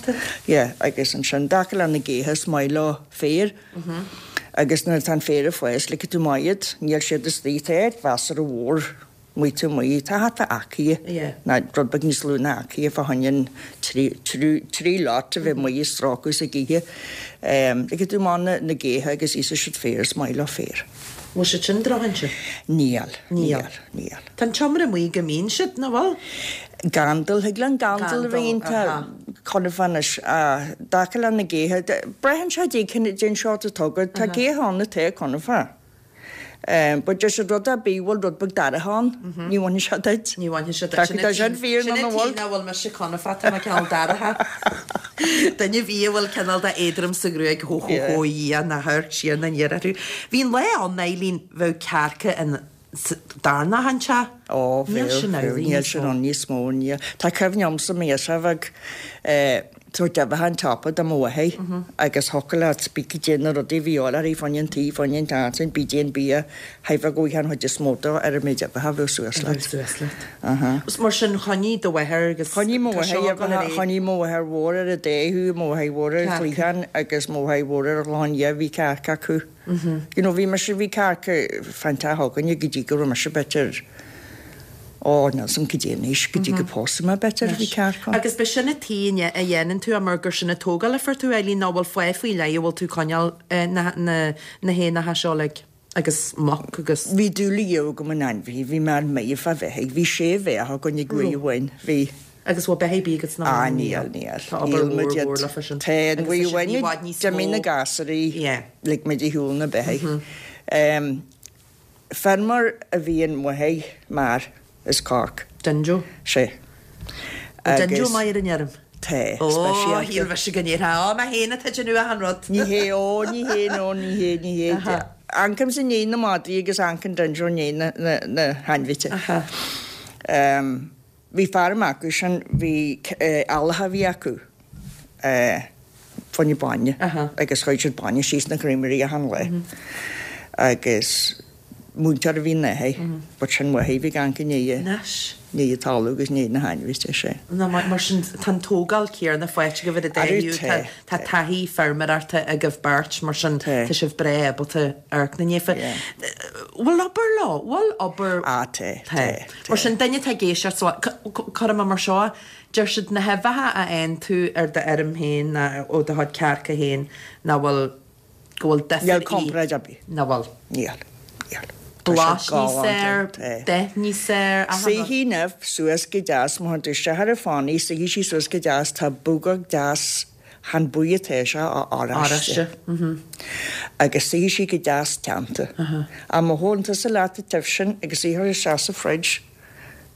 yeah, agus ansin dtaca le na géithe is maith leo féar. Agus nuair atá an féar ag fás ligfidh tú amach iad, níl siad istigh, tá áit mheasartha mhór amuigh taobh amuigh, tá thart fá acre ná rud beag níos lú ná acre fá choinne an trí, trí, trí lot a bheith amuigh ag strácadh sa ghaoithe. Um, ligfidh tú amach na, na géithe agus íosfaidh siad féar, is maith leo féar. Bhfuil siad sin drochínse? Níl, Níl. níl, níl. Tá an tseomra amuigh go mbíonn siad, nach bhfuil? Gandal, thig le an gandal a bheith Gandal, iontach aha. conamh anois, dtaca le na géithe, braitheann sé dé cén den seort atá agat, tá géithe ann atá conamh. Um, but deir siad rud ar bith bhfuil rud beag dorcha ann, ní bhainfidh sé duit. Ní bhainfidh sé duit. Tá tá sin fíor Sin nó an na bhfuil. tí nach bhfuil mise conamh tá mé cineál dorcha. Duine bhí a bhfuil cineál de éadrom sa ghruaig hó hó hó dhia na thuir siar na ndéar orthu. Bhí an lá ann Eileen bheadh cearca in darna hanse. Ó, Níl bheadh, sin ann bheadh, níl níos sin mó. ann níos mó, níl. Tá cuimhne agamsa mise bheadh tabhairt uibheacha an tsiopa do mo mháthair agus thiocfadh leat bí cad é na rudaí a bhí uirthi fá choinne an tí, fá choinne an tseachtain, bí déan bia, chaithfeá go bhfuil an chuid is mó de ar an méid uibheacha a bheadh suas Bheadh leat. suas leat. Aha. Is mar sin choinnigh do mháthair agus Choinnigh mo tá mháthair seo ag dul ar aghaidh. choinnigh mo mháthair mhór ar an dé thuaidh, mo mháthair mhór ar an Cearca. chliathán agus mo mháthair mhór ar an Chlochán Liath, bhí cearca acu. You know, bhí mise bhí cearca fán teach againne go dtí go raibh mise b'fhéidir ó, níl 'fhios a'm cad é anois, go dtí go pósadh mé b'fhéidir bhí cearca ann. Agus ba sin an tí a dhéanann tú mar gur sin an tógáil a fuair tú Eileen ná bhfuil fáth faoi leith a bhfuil tú coinneáil eh, na, na, na héanacha seo like, agus muc agus Bhí dúil agam in ainmhithe, bhí mé méith fá bheithígh, bhí sé bheathach againn ag uair amháin, bhí agus bhfuil beithígh bí agus ná Ah, níl, níl. Tá obair Níl mhór muid mhór iad. le fa sin. Tá an Agus uair tá sin i amháin bhfad níos d'imigh na mó. gasúraí Yeah. lig muid ar shiúl na beithígh. Um, Feirmeoir a bhí in Maigh Mar is Cork. Dinjo. Sé. Dinjo maith ar an fheirm. Tá, Ó, speisialta. shíl mise go ndéarfá, Ó, mé féin atá ag déanamh achan rud. Ní hé, ó, ní hé, nó ní hé, ní hé. Aha. Amharcaimse i ndiaidh na madraí agus amharcann Dinjo i ndiaidh na, na, na hainmhithe. Aha. Um, bhí feirm acu sin, bhí uh, eallacha a bhí acu. Uh, fá choinne bainne. Aha. Agus chuir siad bainne síos na creamery achan lá. Agus múinteoir a bhí ina athair, but sin mháthair bhí gan go ndiaidh Anois. ndiaidh talamh agus ndiaidh na hainmhithe sé. Ná mar mar sin tá an tógáil céanna faighte agaibh ar an Arú, dtaobh, tá, tá taithí feirmeoireachta agaibh beirt mar sin Tá. tá sibh breá ábalta amharc ina ndiaidh. Yeah. Bhfuil obair leo, bhfuil obair Ah, tá, Tá. tá, Mar sin duine atá ag éisteacht so cuirfidh mé mar seo, deir siad na huibheacha a fhaigheann tú ar d'fheirm féin ná ó do chuid cearca féin ná bhfuil go bhfuil difear Níl comparáid ar bith. Ná bhfuil. Níl, níl. Tá Blas siad níos galánta, fearr, tá. dath níos fearr, achan rud. Suífidh an ubh suas go deas, má théann tú isteach ar an fánaí, suífidh sí suas go deas, tá bogach deas chan buí atá sé á oráiste. Oráiste, mhm. Agus suífidh sí go deas teannta. A má thógann tusa leat an t-ubh sin agus í a chur isteach sa fridge,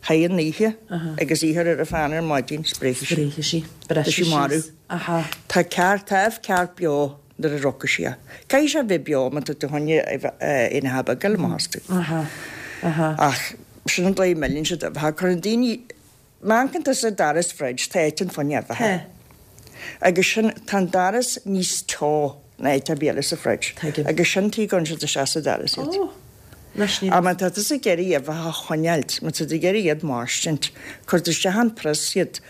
thar an oíche, agus í a chur ar an phan ar maidin, spréifidh sí. Spréifidh sí. Tá sí Breisfidh marbh. síos. Aha. Tá ceart, tá ubh ceart beo nuair a rocadh sí. Caithfidh sé bheith beo má tá tú choinne ina ha beag amach astu. Aha. Aha. Ach sin an dóigh a milleann siad uibheacha. Cuireann daoine má amharcann tú sa doras fridge, tá áit ann fá choinne uibheacha. Tá. Agus sin tá an doras níos teo ná áit ar bith eile sa fridge. Tuigim. Agus sin tuige a gcuireann siad isteach sa doras iad. Ó. Anois ní A má tá tú ag iarraidh uibheacha a choinneáilt, má tá tú ag iarraidh iad mairstint, cuir tú isteach an prios iad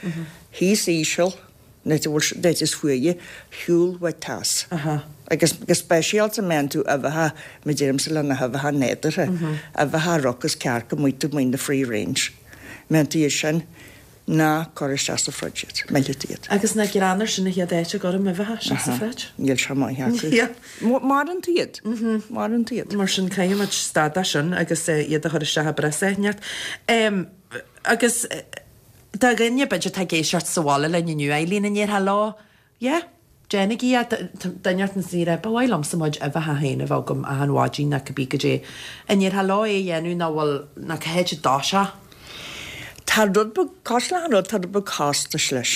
thíos íseal, nó bhfuil is fuaire, shiúl uait teas. Aha. Agus go speisialta má tá tú uibheacha, mar deirimse le na huibheacha nádúrtha, uibheacha a rocas cearca amuigh amuigh na free range. Má tá iad sin ná cuir isteach sa fridge iad, millfidh tú iad. Agus na greannar sin na chéad áit a gcuirim uibheacha isteach sa fridge. Níl sé maith acu. Yeah. Maireann tú iad. Maireann tú iad. Mar sin caithfimid stad as sin agus eh, iad a chur isteach i bprios éineacht. Um, agus eh, dá dhuine b'fhéidir atá ag éisteacht sa bhaile linn inniu Eileen an ndéarfá leo, yeah, déanaigí é duine na saoire, ba mhaith liomsa mo chuid uibheacha féin a bheith agam achan mhaidin ná cibé goidé. An ndéarfá leo é a dhéanamh ná bhfuil ná cá háit a dtoiseodh. Tá rud beag cosúil le rud tá rud beag costais leis.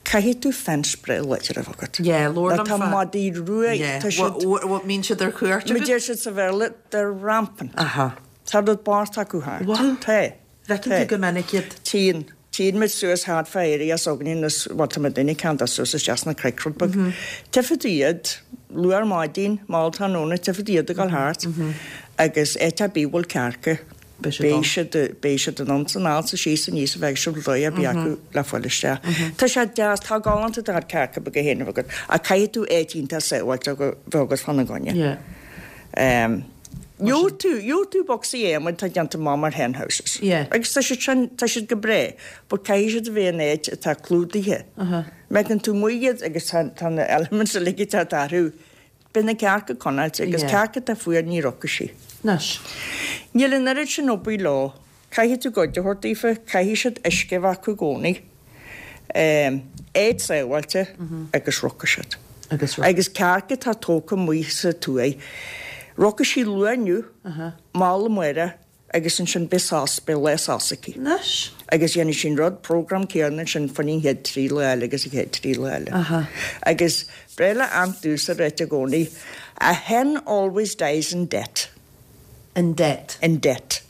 Caithfidh tú fence breá láidir a bheith agat. Yeah, labhair Nó liom Tá fá- madaí rua Yeah. tá siad Mbíonn siad ar cuairt Mar deir siad sa Bhéarla they're rampant. Aha. Tá rud bocht acu thart. Bhfuil? Tá. Feiceann tú go minic iad. Tíonn. Tíonn muid suas thart fá area s'againne nó bhuel tá muid duine ceann suas isteach sna cnoic rud beag. Tífidh tú iad luath ar maidin, mall tráthnóna, tífidh tú iad ag dul thart. Agus áit ar bith a bhfuil cearca. Beidh siad Beidh ann. siad beidh siad ann san alt sa síos aníos a bheidh siad dóigh ar bith acu le fáil isteach. Tá sé deas, tá galánta do chearca beaga féin a bheith agat. Ach caithfidh tú áit iontach sábháilte a bheith agat fána gcoinne. Yeah. Um, Gheobhaidh tú, gheobhaidh tú bocsaí adhmaid atá déanta amach mar hen houses. Yeah. Agus tá siad sin, tá siad go breá, but caithfidh siad a bheith in áit atá clúdaithe. Uh-huh. Megan tú amuigh iad agus tá tá na elements uilig atá orthu. Beidh na cearca conáilte agus Yeah. cearca atá fuar ní rocfaidh sí. Anois. Níl an oiread sin obair leo. Caithfidh tú goid a thabhairt daofa, caithfidh siad uisce a bheith acu i gcónaí. Um, áit sábháilte agus rocfaidh siad. Agus Agus cearca atá tógtha amuigh sa tuaith. Rocfaidh sí luath inniu, mall amárach, agus ansin beidh sos, beidh lá sos aici. Anois. Agus dhéanfaidh sin rud program céanna sin fan an chéad trí lá eile agus an chéad trí lá eile. Aha. Agus breá le aunt Dús a ráit i gcónaí, a hen always dies in debt. In debt. In debt.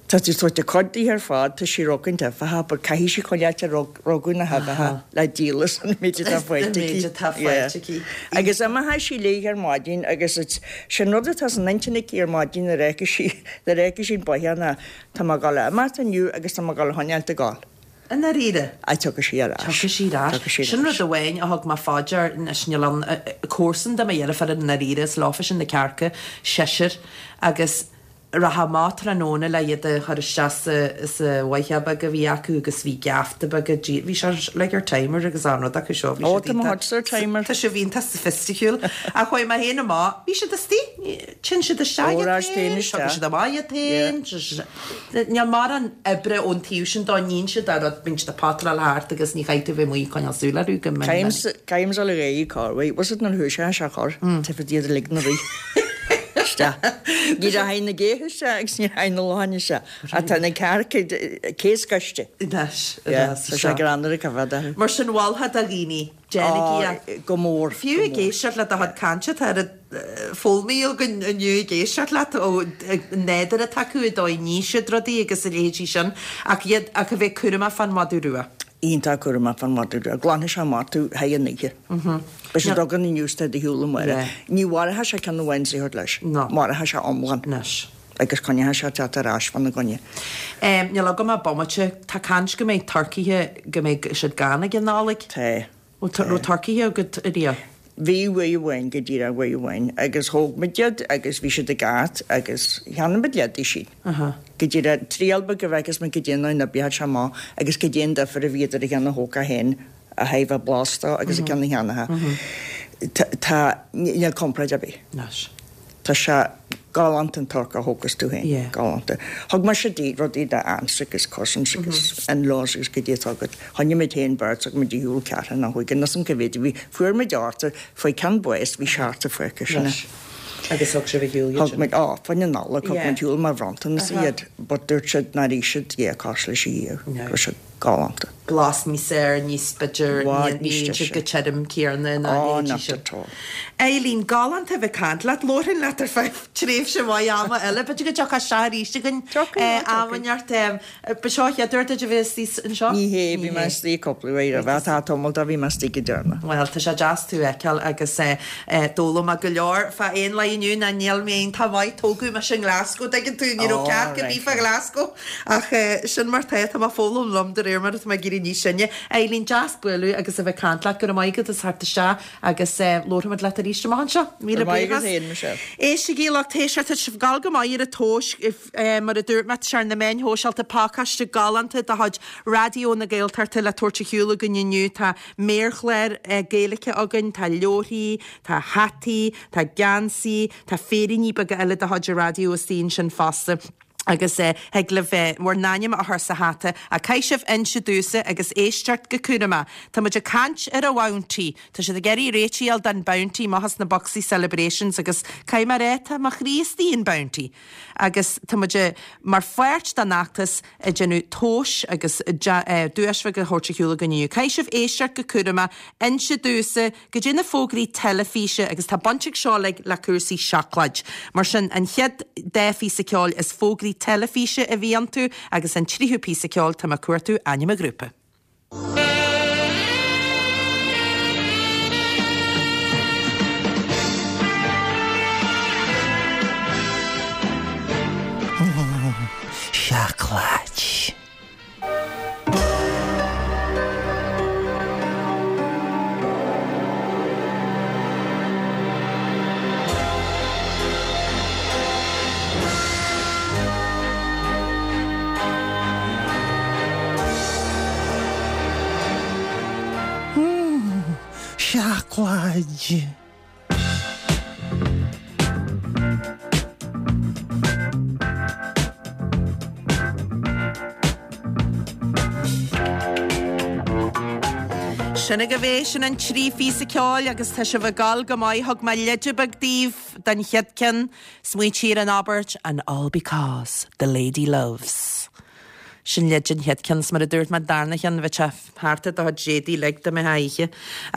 Tá tú tabhairt a cuid di ar fad, tá sí rogaint uibheacha, but caithfidh sí coinneáilt ar rogadh na huibheacha le díolas an méid atá faighte aici. méid atá faighte aici. Agus imeoidh sí léi ar maidin agus it's- sin rud atá san intinn aici ar maidin nuair a fheiceann sí nuair a fheiceann sí an bóthar ná tá mé ag dul a imeacht inniu agus tá mé ag dul a choinneáilt ag gabháil. I ndáiríre. A tiocfaidh sí ar ais. Tiocfaidh sí ar ais. Tiocfaidh sí ar Sin ais. rud amháin a thug mé fá dear anois níl an comharsan de mo dheirfiúr i ndáiríre is leofa sin na cearca seisear agus rachadh amach tráthnóna le iad a chur isteach sa sa bhfaiche beag a bhí acu agus bhí geafta beag a dí- bhí sé like ar timer agus an rud acu seo. Bhí Ó, siad tá mo iontach- chuid ar timer. Tá sé iontach sophisticiúil. A chuaigh mé féin amach, bhí siad istigh, tinn siad isteach Ó, iad ras féin féin, isteach. tugann siad amach iad féin, Níl mórán oibre ón taobh sin dá níonn siad ar rud bíonn siad ag patráil thart agus ní chaithfidh tú bheith amuigh coinneáil súil orthu go minic. Caim le réí Carway, was it na hú sé se chur, Tá iad lig na rí. Isteach. Ní rachaidh na géithe isteach agus ní rachaidh na locháin isteach. Ach tá na cearca céascaiste. Anois, Yeah, tá sé greannmhar ag coimhéad orthu. Mar sin mholfá do dhaoine, déanaigí é. Go mór. Fiú ag éisteacht le do chuid cainte, tá oiread foghlamtha againn inniu ag éisteacht leat ó nádúr atá acu i dóigh ní siad rudaí agus a leithéidí sin, ach iad ach a bheith cúramach fán mhadadh rua. Iontach cúramach fán mhadadh rua. Glanfaidh sé amach tú thar an oíche. Beidh sé dug an inniu de shiúl amárach. Ní mhairfeadh sé ceann amháin sa thabhairt leis. No. Mairfeadh sé iomlán. Anois. Agus coinneoidh sé teacht ar ais fána gcoinne. Níl agam ach bomaite. Tá caint go mbeidh turcaithe, go mbeidh siad gann ag an Nollaig. Tá. Bhfuil raibh turcaithe agat ariamh? Bhí uair amháin, go díreach uair amháin, agus thóg muid iad agus bhí siad ag at agus cheannaigh muid leide siad. Go díreach triail beag a bheith agus muid go dtéann an oibreoidh sé amach agus go dtéann difear a bhí idir a cheann a thógfá féin a thaobh a blasta agus a ceann a cheannaithe. Tá, níl comparáid ar bith. Anois. Tá sé galánta an torc a thógas tú féin. Yeah. Galánta. Thug mise di rudaí do aunts agus cousins agus in-laws agus goidé atá agat. Choinnigh muid féin beirt, thug muid ar shiúl ceathrú nó chúig agus an cá mhéad a bhí. Fuair muid ochtar, faoi ceann báis bhí seachtar fágtha sin. Anois. Agus thug sibh ar shiúl iad Thug sin? muid, á, fá choinne Nollag, thug Yeah. muid ar shiúl mar bhronntanas iad, but dúirt siad nár ith siad dhá cos leis a dhiaidh. No. Go raibh siad galánta. Blas níos fearr, níos b'fhéidir, Bhfad ní níos bhíonn siad deise. go tirim céanna ná Ó, leithéidí not sin. at all. Eileen, galánta a bheith ag caint leat, labharfainn leat ar feadh tréimhse mhaith ama eile, b'fhéidir go dtiocfá isteach arís againn Tiocfaidh, eh, tiocfaidh. am inteacht. em, Ba seo an chéad uair duit a bheith istigh anseo? Ní hé, bhí mé istigh cúpla uair roimhe, tá tamall de bhí mé istigh go deireanach. Bhuel, tá sé deas tú a fheiceáil agus eh, eh, d'fhoghlaim mé go leor fá aon lá inniu ná níl mé iontach maith, tógadh mise i nGlasgow, dtuigeann tú, ní raibh Ó, cearc ar right, bith fá right. Ghlasgow ach eh, sin mar tá, tá mé ag foghlaim liom de réir mar atá mé ag éirí níos sine. Eileen, deas bualadh agus a bheith ag caint leat, go raibh maith agat as theacht isteach agus eh, labharfaimid leat arís amach anseo. Míle Go raibh maith agat buíochas. féin, Michelle. Éistigí lucht éisteachta, tá sibh ag gabháil go maith ar an tomhas, if, eh, mar a dúirt mé, tá sé ar na meáin shóisialta pacáiste galánta de chuid Raidió na Gaeltachta le tabhairt ar shiúl againn inniu. Tá méarchlár eh, Gaeilge againn, tá leabharthaí, tá hataí, tá geansaí, tá féiríní beaga eile de chuid an raidió istigh ansin fosta. Agus eh, thig libh eh, bhur n-ainm a chur sa hata a caithfidh sibh inse domhsa agus éisteacht go cúramach. Tá muid ag caint ar an Bounty. Tá siad ag iarraidh réiteach don Bounty amach na Boxie Celebrations agus caithfidh mé a rá tá mo chroí istigh in Bounty. Agus tá muid mar pháirt den fheachtas ag déanamh tomhais agus eh, duais bheag a thabhairt ar shiúl againn inniu. Caithfidh sibh éisteacht go cúramach, inse domhsa goidé na fógraí teilifíse agus tá baint ag seo le le cúrsaí seacláid. Mar sin an chéad dá phíosa ceoil is fógraí teilifíse a bhí iontu agus an tríú píosa ceoil tá mé ag cuartú ainm an ghrúpa. Seacláid. Seacláid. Sin agaibh é sin an trí phíosa ceoil agus tá sibh ag gabháil go maith thug mé leide beag daoibh don chéad ceann, smaointigh ar an abairt and all because the lady loves. Sin leide an chéad ceann mar a dúirt mé darna ceann bhí sé thart ar do chuid éadaí uilig dá mbeifeá oíche.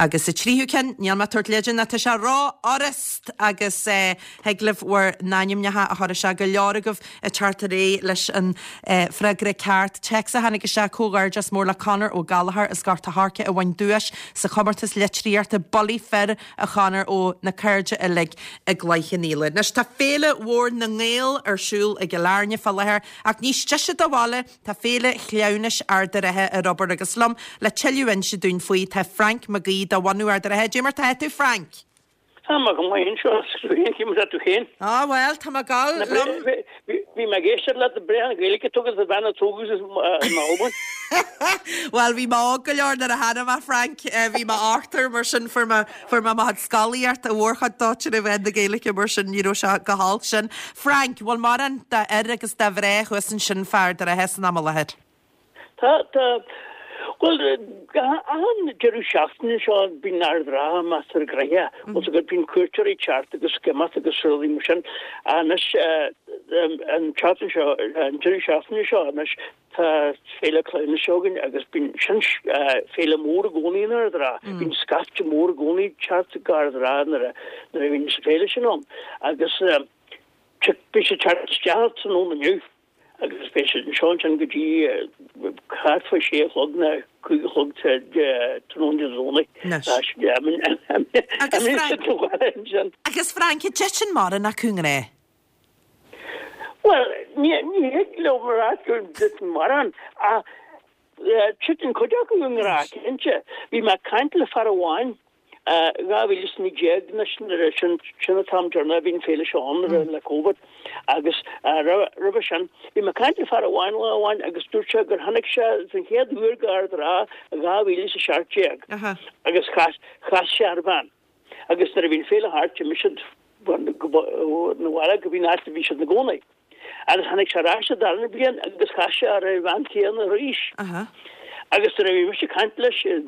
Agus sa tríú ceann níl mé ag tabhairt leide ná tá sé ró-fhurast agus eh, thig libh bhur n-ainmneacha a chur isteach go leor agaibh ag teacht ar aghaidh leis an eh, freagra ceart. Téacs a tháinig isteach comhghairdeas mór le Conor Ó Gallchóir as Gort a' Choirce a bhain duais sa chomórtas litríochta Bullaí Fir a Chonor ó na cairde uilig i gCloich Cheann Fhaola. Anois tá féile mhór na nGael ar siúl i gCill Airne fá láthair ach níos deise do bhaile tá féile chleamhnais Ard an Rátha ar obair agus liom le tuilleadh a inse dúinn faoi tá Frank Mag Aoidh de bhunadh Ard an Rátha. Dé mar tá tú Frank. Tá mé go maith anseo scrúin cím tú féin. Á bhuel tá mé ag gabháil liom. Bhí mé ag éisteacht leat breá an Ghaeilge tugas a bhean tugus na Albain. Well bhí mé óg go leor nuair a tháinig mé Frank eh, bhí mé ochtar mar sin fuair mé fuair mé mo scolaíocht a mhórchuid dóite a bheith na Gaeilge mar sin ní raibh sé go holc sin. Frank, bhfuil mórán d'fhir agus de mhná thuas ansin fá Ard an Rátha san am i láthair. Tá tá Bhuel, achan deireadh seachtaine seo bíonn Ard an Rátha measartha gnoitheach. Bhfuil 's agat bíonn cuairteoirí ag teacht agus ag imeacht agus rudaí mar sin. Anois an tseachtain seo, an deireadh seachtaine seo anois tá Féile Cleamhnais againn agus bíonn sin féile mór i gcónaí in Ard an Rátha. Bíonn scaifte mór i gcónaí ag teacht go Ard an Rátha nuair a nuair a bhíonn an féile sin ann. Agus beidh siad ag teacht isteach tráthnóna inniu. Agus beidh siad anseo ansin go dtí thart fá sé a chlog nó cúig a chlog tráthnóna Dé Domhnaigh. Agus Frank, agus Frank, an dtiteann mórán acu i ngrá? Bhuel, ní thig liom a rá go dtiteann mórán, ach titeann cuid acu i ngrá, cinnte. Bhí mé ag caint le fear amháin dhá mhíle is naoi déag anois nuair a sin sin an t-am deireanach a bhí an féile seo ann mm. le Covid agus roimhe sin bhí mé ag caint le fear amháin lá amháin agus dúirt sé gur tháinig sé den chéad uair go Ard an Rátha dhá mhíle is a seacht déag agus chas chas sé ar bhean agus nuair a bhí an féile thart d'imigh siad 'na bhaile go dtí an áit a bhí siad ina gcónaí. Agus tháinig sé ar ais an darna bliain agus chas sé ar an bhean chéanna arís. Agus nuair a bhí mise ag caint leis i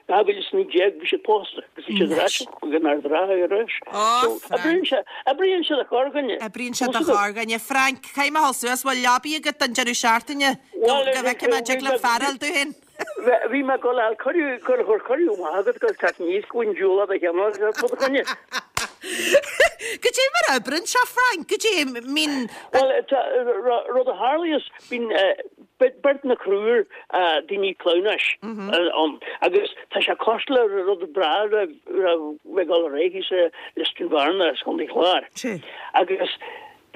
dhá mhíle is naoi déag bhí siad pósta agus bhí siad ar ais chuig an Ard Rátha arís. So oibríonn sé, oibríonn sé do chorrdhuine. Oibríonn sé do chorrdhuine. Frank, caithfidh mé a dhul suas, bhfuil leabaidh agat don deireadh seachtaine? Go bhfeicfidh mé an dtig liom fear a fháil domh féin. Bhí mé ag dul a fháil cuireadh, cuireadh, cuireadh maith agat dul teacht aníos go bhfuil diúl do cheann do dhuine. Goidé mar a oibríonn sé, Frank, goidé mín. Bhuel, rud a tharlaíos, bíonn beirt nó triúr daoine cleamhnais ann agus tá sé cosúil le rud breá a raibh ag dul ar aghaidh thíos i Lios Dúin Bhearna sa Chontae Chláir. Agus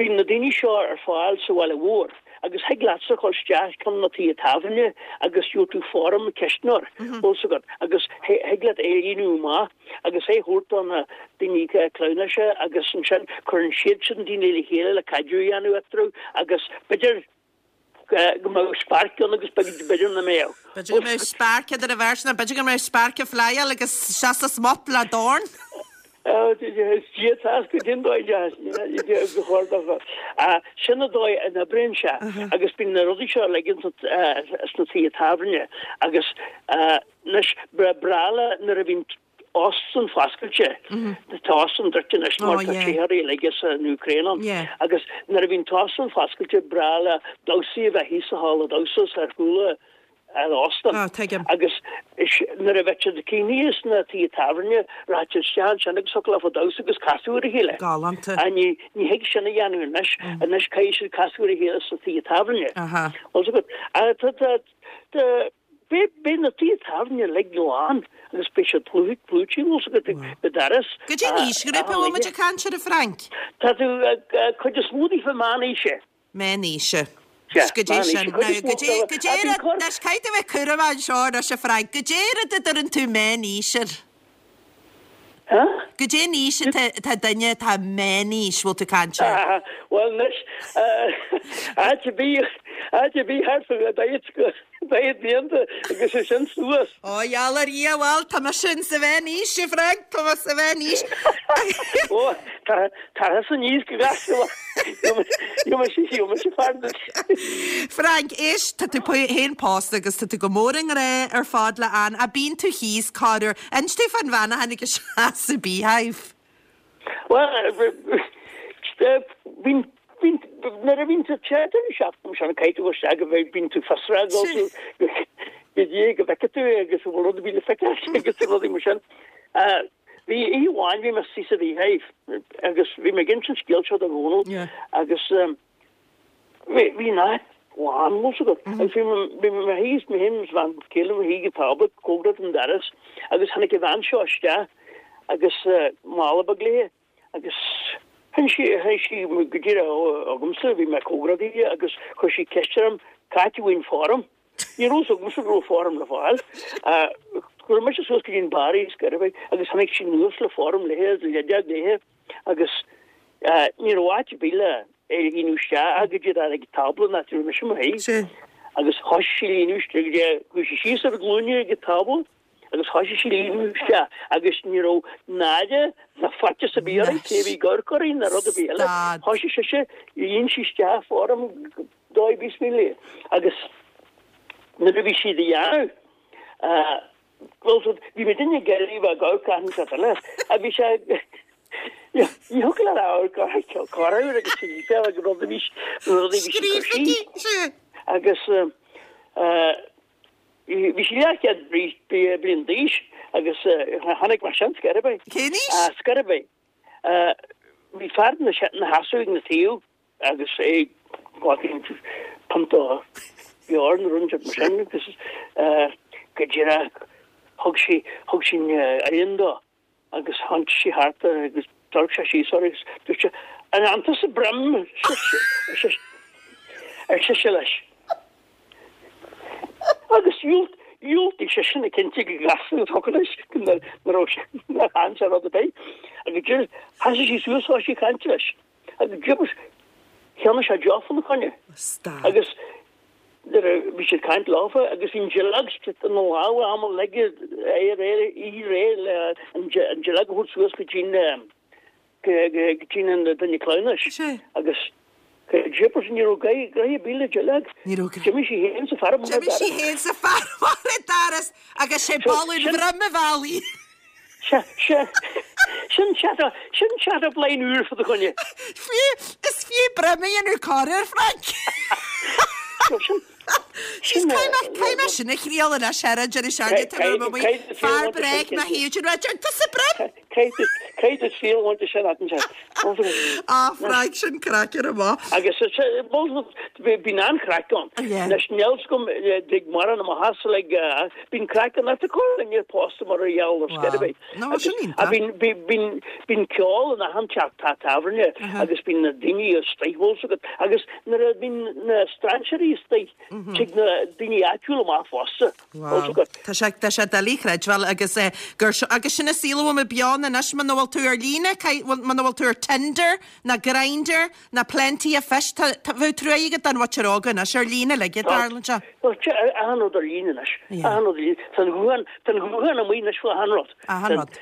bíonn na daoine seo ar fáil sa bhaile mhór agus thig leatsa dhul isteach chun na tithe tábhairne agus gheobhaidh tú form ceistneoir, bhfuil 's agat, agus thig leat é a líonadh amach agus é a thabhairt do na daoine cleamhnais agus ansin cuireann siadsan daoine le chéile le caidreamh a dhéanamh eatarthu agus b'fhéidir go mbeadh spark ann agus b'fhéidir nach mbeadh. B'fhéidir go mbeadh spark idir an bheirt nó b'fhéidir go mbeadh spark ag flyáil agus seasamh smut le dorn. Is Dia atá go dtí an dóigh go chóir do sin an dóigh a n-oibríonn sé agus bíonn na rudaí seo uilig sna tithe tábhairne agus anois ba bhreá le nuair a bhíonn óstán foscailte tá óstán druidte anois mar tá teitheoirí uilig as an Úcráin ann agus nuair a bhíonn t-óstán foscailte breá le damhsaí a bheith thíos sa halla damhsa ar chúl an óstán agus nuair a bheadh siad críochnaithe sna tithe tábhairne rachadh siad isteach ansin agus thiocfadh leofa damhsa agus casadh ar a chéile. Galánta. Ní ní thig sin a dhéanamh anois anois caithfidh siad casadh ar a chéile sna tithe tábhairne. Bhfuil 's agat tá tá tá Beidh beidh na tithe tábhairne uilig lán agus beidh siad plúchta bhfuil 's agat go doras. Goidé an aoisghrúpa a bhfuil muid ag caint air a Frank? Tá tú cuid is mó daofa meánaoise. Meánaoise. Sea, Goidé meánaoise. sin. Cuid is Now mó goidé dóibh. goidé Bíonn rud cor. anois caithfidh tú a bheith cúramach anseo anois a Frank. Goidé rud a dtuireann tú meánaois air? Huh? Goidé an aois atá atá duine atá meánaois bhfuil tú ag caint air? Ah, bhuel anois, áit ar bith, áit ar bith thart fá daichead go daichead blianta agus é sin suas. Ó, gheall ar Dhia, bhuel, tá mise in sa mheánaois, a Frank, tá mé sa mheánaois. Ó, tá, tá thusa níos go gasta, gheobhaidh mise fear duit. Frank, éist, tá tú féin pósta agus tá tú go mór i ngrá ar fad le Ann. A bíonn tú thíos corruair. Inis domh fán bhean a tháinig isteach sa Beehive. Bhuel, bíonn, bíonn, nuair a bhíonn tú te deireadh seachtaine sin, caithfidh tú isteach go bhfeidh, bíonn tú fiosrach go go dtí go bhfeicfidh tú agus an bhfuil rud ar bith le feiceáil agus rudaí mar sin. Bhí oíche amháin, bhí mé suí sa Beehive agus bhí mé ag insint an scéal seo do Dhónal agus bhí, bhí an áit lán, bhfuil 's agat, agus bhí mé, bhí mé thíos, mé féin agus bhean chéile mo shuí ag tábla cóngarach don doras agus tháinig an bhean seo isteach agus mála beag léi agus tháinig sí, tháinig sí go díreach chugamsa, bhí mé cóngarach di agus chuir sí ceist orm, cá háit a bhfaighinn form. Ní raibh 's agamsa go raibh form le fáil. Chuir mise suas go dtí an bar í scor ar bith agus tháinig sí anuas le form léi agus leidheag léi agus ní raibh áit ar bith le é a líonadh isteach ach go díreach ag an tábla an áit a raibh mise i mo shuí. Agus thoisigh sí a líonadh isteach go dtí chuaigh sí síos ar a glúine ag an tábla agus thoisigh sí a líonadh isteach agus ní raibh náire ná faitíos ar bith uirthi cé a bhí ag amharc uirthi ná rud ar bith eile. Thoisigh sise, líon sí isteach form dóigh ar bith léi agus nuair a bhí sí á dhéanamh, Bhuel, bhí mé duine gerí bheith go caihan se eile a bhí sé ní thiocfadh leat amharc orthu corruair agus sí agus rud a bhí rud a bhí sí agus bhí sí leathchéad bliain d'aois agus tháinig mar sin scor ar bith. Cén aois? Scor ar bith. Bhí fear ina sheasamh ag na taobh agus é ag punt o beoir nó rud mar sin agus go díreach thug sí thug sí oileán dó agus tháinig sí thart agus d'amharc sé síos uirthi agus dúirt sé An bhfaigheann tusa broim ar sise leis. Agus dhiúltaigh seisean a cinnte go gasta an focal leis go raibh sé nár shean sé rud ar bith. Agus deir sheasaigh sí suas thosaigh sí ag caint leis. Agus jeepers cheannaigh sé deoch fána choinne. Agus nuair a bhí siad caint leofa agus bhí an duilleog ina lámha am leige é réidh í réidh le an duilleog a thabhairt suas go dtí'n go dtí'n an duine cleamhnais. Agus jeepers ní raibh gnaithe ar bith le duilleog. Ní raibh gnaithe. D'imigh sí féin sa fear amach an D'imigh sí doras. féin sa fear amach an doras agus sé boladh an bhroim a mheall í. Sea, sea. Sin chat, sin chat up line úr fá choinne. Fiú, is fiú broim a dhéanamh corruair, Frank. Sin, Sin caithfidh mé sin a thriail anois ar an deireadh seachtaine tá mé amuigh. Fear bréag má thaobh sin rud tusa broim. Caithfidh tú triail bhaint sin at an Á Frank sin craic ar amach. Agus bíonn an-chraic ann. Anois níl 's agam dtig mórán amach as like bíonn craic ann ar corr níor pósta mar a gheall ar scor ar bith. No sin iontach. Bíonn bíonn ceol in achan teach tábhairne agus bíonn na daoine istigh bhfuil 's agat agus nuair a bíonn na strainséirí istigh tig na daoine áitiúla amach fosta. Wow. Tá sé tá sé doiligh a chreidbheáil agus eh, gur seo agus sin an saol a bhfuil muid beo ann anois muna bhfuil tú ar líne muna bhfuil tú ar Tinder ná Grindr ná Plenty of Fish tá tá bheadh trua agat don mhuintir óg anois ar líne uilig a dtarlaíonn sé. Achan rud ar líne anois. Achan rud ar líne. Tá an ghuan tá an ghuan amuigh anois fá achan rud. Achan rud.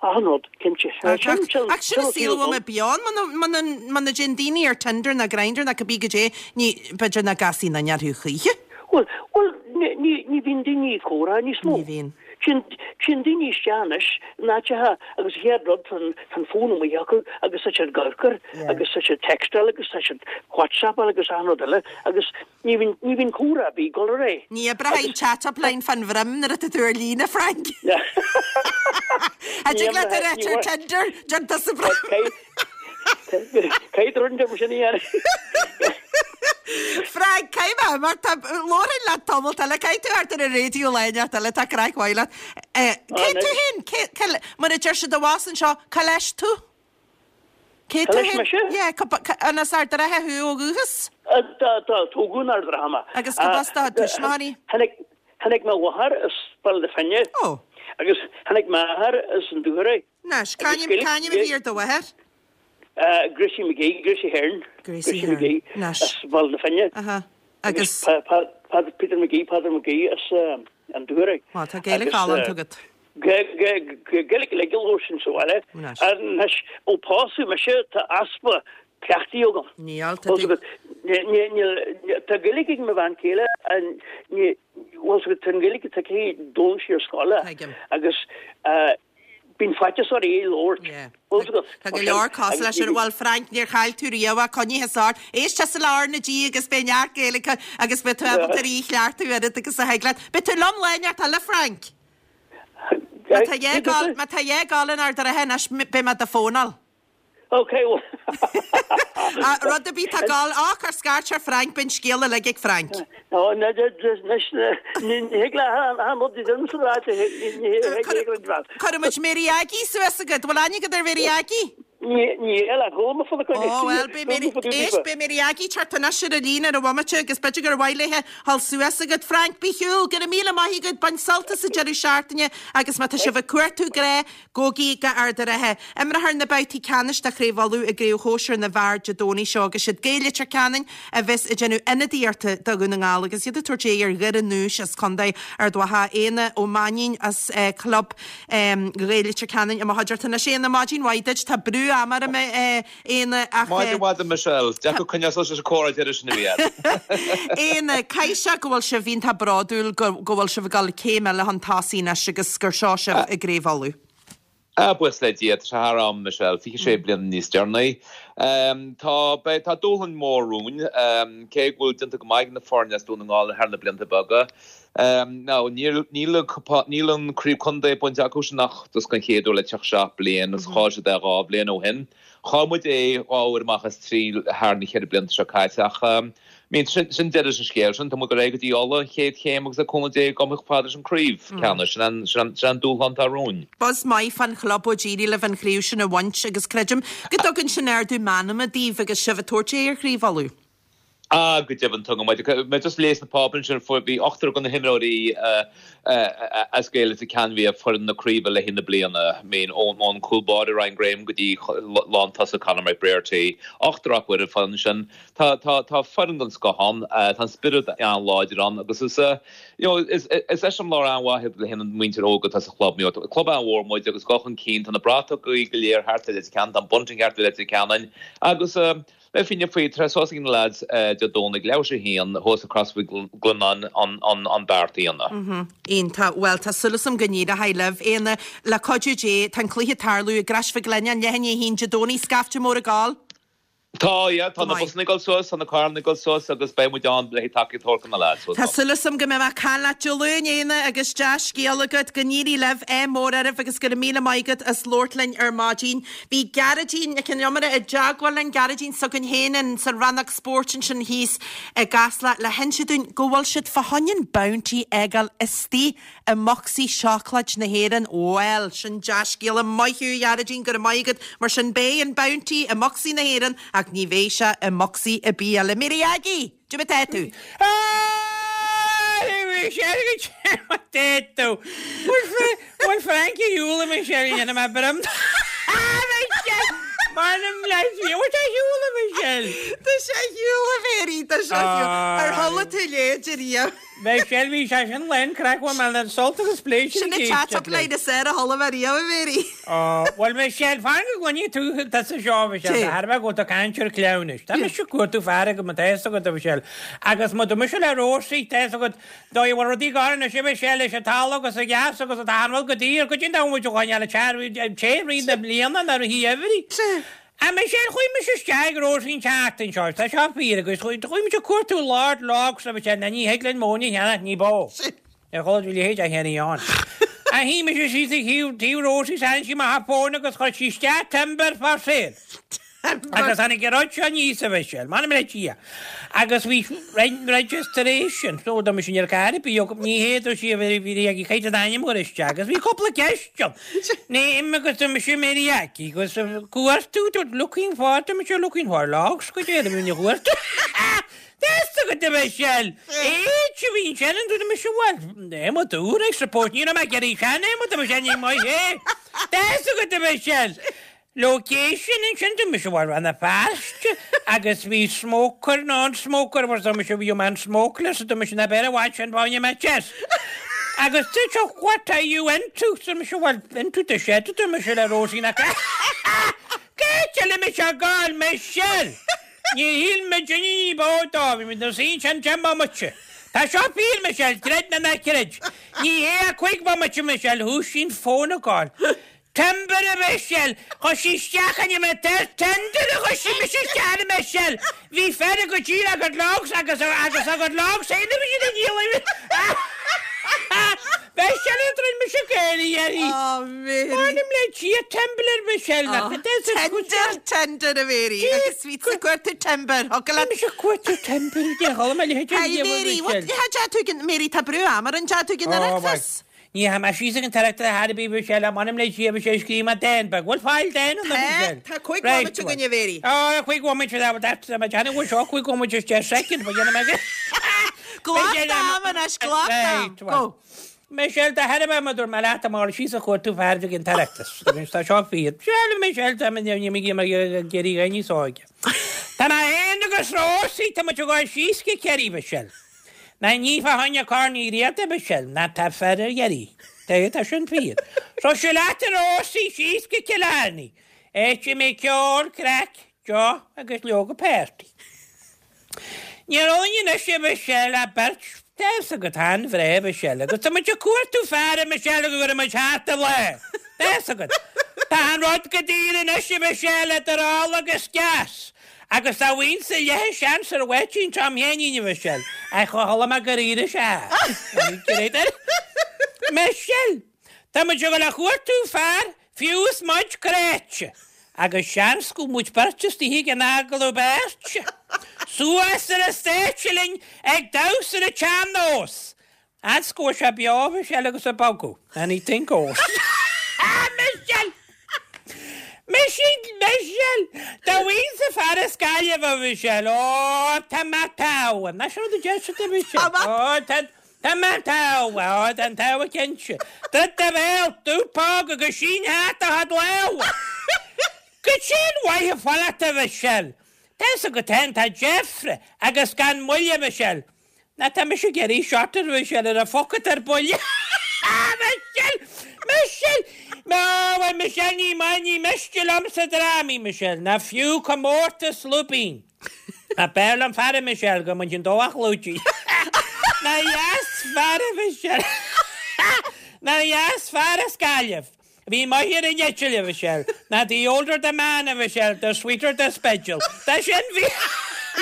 Achan rud, cinnte. Ach sin an saol a bhfuil muid beo ann muna muna dtéann daoine ar Tinder ná Grindr ná cibé goidé ní b'fhéidir nach gcasfaí aon duine orthu choíche. Bhuel, bhuel, ní ní bhíonn daoine ag comhrá níos mó. Ní bhíonn. Téann daoine isteach anois in áiteacha agus an chéad rud tá an tá an fón amuigh acu agus tá siad ag amharc air agus tá siad textáil agus tá siad WhatsAppáil agus achan rud eile agus ní bhíonn ní bhíonn comhrá ar bith ag dul ar aghaidh. Ní oibreoidh an chat up line fan bhroim nuair atá tú ar líne, Frank. A dtig leat a rá ar Tinder, déan tusa broim. Caithfidh rud mar sin a dhéanamh. Frank, caithfidh mé mar tá labhraíonn leat tamall eile, caithfidh tú thart ar an raidió lá inteacht eile, tá craic mhaith leat. Eh, cé tú féin? Cé- cé- Mar a deir siad abhus anseo, cá leis tú? Cé tú Cá leis féin? mise? Yeah, cá ba- cá- an as Ard an Rátha thú ó dhúchas? Eh, Tá tá tógadh in Ard an Rátha mé. Agus cad as do thuismitheoirí? Tháinig tháinig mo mháthair as Baile na Finne. Ó. Agus tháinig m'athair as an Dúchoraidh. Anois, c'ainm c'ainm a bhí ar do mháthair? Uh, Gracie McGee, Gracie Hearn. Gracie Hearn. McGee Anois. as Baile na Finne. Aha. Agus Pa, pa, pa, Peter McGee, Peadar McGee as um, an Dúchoraidh. Well, tá Gaeilge galánta agat. Gaeilge le giló sin sa bhaile. Anois. Anois ó pósadh mise tá easpa cleachtaidh agam. Níl, tá Bhfuil tú- agat, ní- ní- níl- Tá Gaeilge ag mo bhean chéile an ní- bhfuil agat, tá an Ghaeilge atá aici d'fhoghlaim sí ar scoil. Tuigim. Agus uh, bíonn faitíos uirthi í a labhairt. Yeah. Bhfuil agat, Tá go leor cosúil leis sin bhfuil Frank níor chaill tú riamh coinnithe sár. Éist le R na G agus beidh neart Gaeilge agus beidh tú ábalta í a chleachtadh oiread agus a thig leat. Beidh tú liom lá inteacht eile Frank. Má tá dhé gal- má tá dhé gal in Ard an Rátha anois beidh mé do fónáil. Ok, well. Ah, Rud a bí tá gal á chur scairt ar Frank bíonn scéal uilig ag Frank. No, na ní thig le an rud dom sa ráite ní Cuirfidh muid Mary Aggie suas agat, bhfuil aithne agat ar Mary Aggie? Ní eile chuma fa Ó well beidh Mary éist beidh Mary Aggie teacht anois ar an líne ar an bhomaite agus b'fhéidir gur mhaith léithe dhul suas agat. Frank bí shiúl, go raibh míle maith agat bain sult as an deireadh seachtaine agus má tá sibh ag cuartú grá gabhaigí go Ard an Rátha. Imreofar na babhtaí ceannais de Chraobh Uladh i gCraobh Shóisir na bhFear Dé Domhnaigh seo agus siad Gaeil Leitir Ceanainn a bheas ag déanamh ionadaíochta do Dhún na nGall agus iad ag tabhairt aghaidh ar Dhoire Núis as Contae Ard Mhacha Éanna Ó Mainnín as eh, club um, Ghaeil Leitir Ceanainn i mo chuideachta anois Éanna maidin mhaith duit tá brú ama orm, a Éanna, ach. Maidin mhaith, Michelle. Deacair coinneáil suas leis an comhrá deireadh sin a bhí agat. Éanna, caithfidh sé go bhfuil sibh iontach bródúil go go bhfuil sibh ag dul céim eile chun tosaigh anois agus gur seo sibh i gCraobh Uladh. Ah, buíochas le Dia, tá sé thar am, Michelle, fiche sé bliana níos deireanaí. Tá, beidh, tá dúshlán mór romhainn, cé go bhfuil déanta go maith ag na foirne as Dún na nGall thar na blianta beaga. Now, níl, níl, níl an Craobh Contae bainte acu sin ach just den chéad uair le tríocha seacht bliain agus chaill siad é dhá bhliain ó shin. Chaill muid é dhá uair amach as trí thar na ceithre blianta seo caite ach, mean, sin, sin deireadh leis an scéal sin. Tá muid ag dul ar aghaidh go dtí Ulaidh, an chéad chéim agus le cúnamh Dé gabháil chomh fada leis an craobh ceannais. Sin an, sin an, sin an dúshlán atá romhainn. Buzz maith fán chlub ó d'éirigh libh an chraobh sin a bhaint agus creidim go dtugann sin ardú meanma daoibh agus sibh ag tabhairt aghaidh ar Chraobh Uladh. Ah, go deimhin, tugann muid. Mé just ag léamh sna páipéir ansin, fuair, bhí ochtar de na himreoirí as Gaeil Leitir Ceanainn bhí ar foireann na craoibhe le haghaidh na bliana. I mean, ón, ón cúl báire Ryan Graham go dtí lántosaí Conor McBrearty, ochtar acu ar an foireann sin. Tá, tá, tá foireann den scoth ann, tá an spiorad an-láidir ann agus is, you know, is, is eiseamláir an-mhaith iad le haghaidh an mhuintir óg atá sa chlub. You know, club an-mhór muid agus dul chun cinn, tá na bratacha go léir thart ar Leitir Ceanainn, tá an bunting thart ar Leitir Ceanainn agus, Le fírinne faoi, tá suas ag na lads Dé Domhnaigh, leathuair tar éis a haon, thuas i Crois Mhic Lionnáin an beart a dhéanamh. Iontach. Bhuel, tá súil agam go n-éireoidh libh. Éanna, le cuidiú Dé, tá an cluiche ag tarlú i gCrois Mhic Lionnáin, leath i ndiaidh a haon Dé Domhnaigh, scaifte mór ag gabháil. Tá, yeah, tá Go na maith. busanna ag dul suas, tá na carranna ag dul suas agus beidh muid ann le tacaíocht a thabhairt do na lads. Tá súil agam go mbeidh mé ag caint leat Dé Luain, Éanna, agus dea-scéal agat. Go n-éirí libh, ádh mór oraibh agus go raibh míle maith agat as labhairt linn ar maidin. Bhí Gearóidín Nic an Iomaire i dteagmháil linn, Gearóidín s'againn féin in sa rannóg spóirt ansin thíos i gCasla le hinse dúinn go bhfuil siad fá choinne an Bounty a fhágáil istigh i mbocsaí seacláid na hÉireann. Bhuel, sin dea-scéala. Maith thú, a Ghearóidín, go raibh maith agat. Mar sin beidh an Bounty i mbocsaí na hÉireann ach ní bheidh sé i mbocsaí ar bith eile. Mary Aggie! Cad é mar atá tú? Tá tú. Bhfuil Frankie Yule Michelle dhéanamh mé brum. M'anam le Dia, bhfuil sé shiúl a Michelle? Tá sé ar shiúl a Mary, tá sé ar shiúl. Ar chuala tú leid ariamh? Michelle bhí sé sin lán craic bhfuil mé le sult agus pléisiúr Sin an chat-up line is fearr a chuala mé riamh a Mary. Bhuel Michelle, fan go gcluinfidh tú tusa seo Michelle, tá thar a bheith go bhfuil tú ag caint ar cleamhnais. Tá mise ag cuartú fear agam tá fhios agat a Michelle. Agus má tá mise le Rósaí, tá fhios agat, dóigh a bhfuil rudaí gar anois a Michelle leis an talamh agus an gas agus an t-anbhfuil go dtí ar go dtí an domhan muid a choinneáil ag te rith na bliana ná rith every. A Michelle, chuaigh mise isteach ag Róisín an tseachtain seo, tá seo fíor agus chuaigh mise ag cuartú Lord Logs a Michelle, ná ní thig linn móin a cheannach ní bó. Ar chuala tú a leithéid a cheannaigh ann. A shuigh mise síos ag taobh taobh Róisín is tharraing sí amach a fón agus chuir sí isteach timber for sale. Agus tháinig an rud seo aníos a Mhichelle, m'anam le Dia. Agus bhí registration, so dá mbeadh sin ar carr ar bith agam, ní fhéadfadh sí a bheith bhí ag caint an ainm a chur isteach agus bhí cúpla ceist ann. Name agus dá mbeadh sé Mary Aggie agus cuartú, looking for, dá mbeadh sé looking for logs go deo, dá mbeadh cuartú. There's agat a Mhichelle! Age a bhí ansin an dá mbeadh sé well, Emma dúr, I suppose, ní raibh mé ag iarraidh sean Emma dá mbeadh sé ní maith é. There's agat a Mhichelle! Location ansin dá mise bhuel Rann na Feirste agus bhí smoker non smoker was dá mise bhí man smokeless dá mise na beir i bhfad sin báine mé chest. Agus dúirt sé what are you into? Dá mise bhuel into the shed dá mise le Róisín ach Cé eile mise ag gabháil Michelle? Níor shíl mé duine ní b'fhó dó bhí muid ina suí ansin deich mbomaite. Tá seo fíor Michelle, creid nó ná creid. Ní hé ach cúig bhomaite Michelle, thoisigh an fón ag gabháil. Timber a Mhichelle! Chuir sí isteach an iomaire tender a chuir sí mise isteach a Mhichelle! Bhí fear go díreach a gcuid logs agus agus a gcuid logs féin a bhí siad a dhíol Mhichelle a dtroid mise Gaeilge uirthi! Oh Mary! M'anam le Dia Timber Mhichelle nach Tender tender a Mary agus bhí tú ag cuartú timber thug leat. Bhí mise ag cuartú timber de chuala mé leithéid Hey Mary, what cha tú Mary tá brú ama orainn tá tú ag an Oireachtas? Ní tha mé síos ag an Oireachtas ar chor ar bith Michelle, ach m'anam le Dia bhí sé ag scríobh mé dán beag. Bhfuil fáil dán ann, a Tá, Mhichelle? tá cúig Right, bhomaite againn, a Mhéirí. Ó, cúig bhomaite, tá, tá, tá, tá, bhfuil seo cúig bhomaite is deich soicind, ba dhéanamh mé go. Glac Michelle, d'am anois, glac d'am. Right, well. Go. Michelle, tá thar a bheith, mar dúirt mé leat, amárach síos ag cuartú fear ag an Oireachtas. Anois tá seo fíor. Michelle, Michelle, tá mé, ní mé ag iarraidh dhaoine níos óige. Tá mé féin agus Rósaí, tá muid ag dul síos go Ciarraí, Michelle. Ná ní fá choinne Corn Uí Riada, Michelle, ná tá fear ar iarraidh. Tá, tá sin fíor. So seo leat a Rósaí, síos go Cill Airne. Áit a mbeidh ceol, craic, deoch agus leoga party. Níl orainn anois a Mhichelle ach beirt tá fhios agat an-bhreá a Mhichelle agus tá muid ag cuartú fear a Mhichelle go gcuirfidh muid thart an lá. Tá fhios agat. Tá an rud go daor anois a Mhichelle idir ola agus gas. Agus dá bhfaighinnse leath seans ar Mháirtín Tom Sheáinín a Mhichelle ach chuala mé gur éirigh sé as. Michelle! Tá muid ag dul a chuartú fear fiú is muid cráite. Agus seans go bhfuil muid beirt istigh ag an agallamh beirte. Suas ar an stáitse linn ag damhsa ar an tsean-nós. Fhad 's go bhfuil sé beo a Mhichelle agus ag bogadh. Anything goes. Michelle! Michelle! Michelle! Dá bhfaighinn fear as Gaillimh a Mhichelle, ó, tá mé togha. Nach sin rud a deir siad a Mhichelle? Ó, tá Tá mé togha, ó, tá an togha cinnte. Druid do bhéal, dubh póg agus sín thart do chuid lámha. Goidé an mhaith a fanacht a Mhichelle. Tá fhios agat féin, tá deifre agus gan moill a Mhichelle. Ná tá mise ag iarraidh shorter a Mhichelle ar a phocad ar buile. Michelle! Michelle! Ó, bhuel, Michelle, ní maith, ní miste liomsa drámaí, Michelle, ná fiú comórtas lúibín. Ach b'fhearr liom fear a Michelle go mbainfinn dó a chlúidigh. Nár dheas fear a Mhichelle. Nár dheas fear as Gaillimh. Bhí maith ar an eitill a Mhichelle. Ná the older the man a Mhichelle, the sweeter the speideal. Tá sin bhí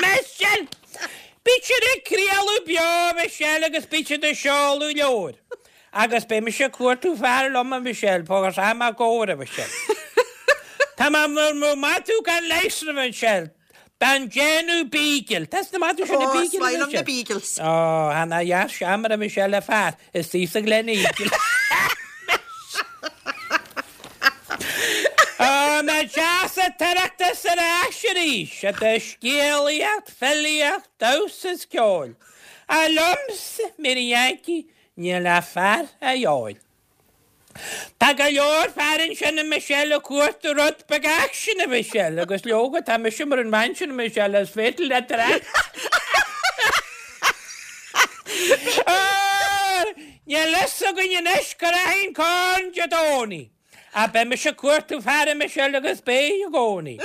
Michelle! Bíd siad ag craoladh beo a Mhichelle agus bíd siad ag seoladh leabhair. Agus beidh mise ag cuartú fear liom a Mhichelle, agus am á gcomhair a Mhichelle. Tá mé mur maith tú gan leigheas a Mhichelle. Gan déanamh beagle. Tá na maith tú sin na Ó, is beagle a maith liom na Mhichelle. beagles. Ó, tá na dheas seamar a Mhichelle le fear is thíos sa Gleneagle. Ó, na deas an tOireachtas ar ais arís, idir scéalaíocht, filíocht, damhsa is ceol. Ach liomsa, Mary Yankee, níl ach fear a dhíobháil. Tá go leor fear ansin a Michelle ag cuartú rud beag aicsin a Mhichelle agus leoga tá mise mar an bhean sin a Michelle is féidir leat ar ais. Níl fhios againn anois cá rachaidh an corn Dé Domhnaigh. Ach beidh mise ag cuartú fear a Michelle agus beidh i gcónaí.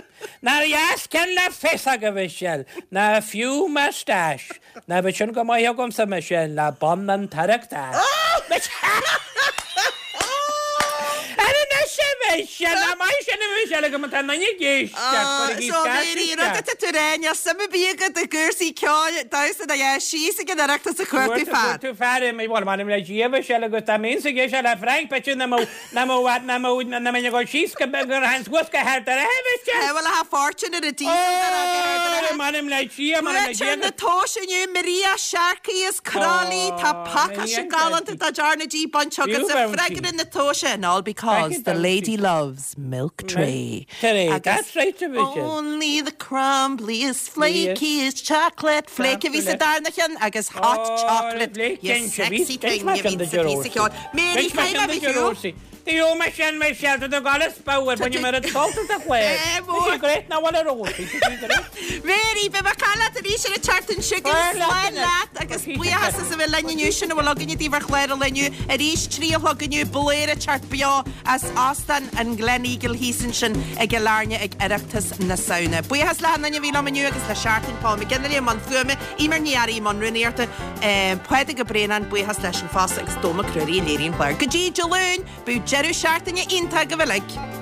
Nár dheas ceann le féasóg a Mhichelle, ná fiú moustache. Ná bheadh sin go maith agamsa Michelle le bonn an tOireachtais. Ar anois a Mhichelle, nach maith sin a Mhichelle agam atá in ag éisteacht, cuirigí So scairt Mary, rud isteach. atá tú a rá, níl suim ar bith agat i gcúrsaí ceoil, damhsa ná a síos ag an Oireachtas ag cuartú fear. Cuartú fear, bhuel, m'anam le Dia a Mhichelle agus dá mbeinnse ag éisteacht le Frank, b'fhéidir nach mbeadh, nach mbeadh, nach mbeadh, nach mbeinn ag dul síos go, go rachainn suas go hArd an Rátha, a Mhichelle. Bhuel, a fortune ar a diesel go Ard an Rátha. Ó, m'anam le Dia, m'anam le Dia. Buaiteoir na tomhaise inniu, Maria Sharkey as Crolly, tá pacáiste galánta de R na G bainte agatsa, freagra na tomhaise and all because the lady loves milk tray. That's right, a Mhichelle. Only the crumbliest, flakiest chocolate flake a bhí sa darna cheann agus hot chocolate, you sexy thing a bhí sa phíosa ceoil. Mary, caithfidh mé a bheith shiúl. Tá mé sin Michelle tá do gal power bhain mar dulta a chlé. Tá great ná bhfuil ar Mary, beidh mé ag caint leat arís ar an tseachtain seo chugainn. Slán leat agus buíochas as a bheith linn inniu sin a bhfuil againne daoibh ar chlár an lae inniu. Arís trí a chlog inniu Bladhaire ag teacht beo as Óstán an Gleneagle thíos ansin i gCill Airne ag Oireachtas na Samhna. Buíochas le hachan duine a bhí liom inniu agus le Seachtain Paul McGinley i mbun fuaime, Eimear Ní Fhearraigh i mbun rúnaíochta, Pádraig Ó Braonáin, buíochas leis an fosta agus Dónall Mac Ruairí a léirigh an clár. Go dtí Dé Luain, bíodh deireadh seachtaine iontach agaibh uilig.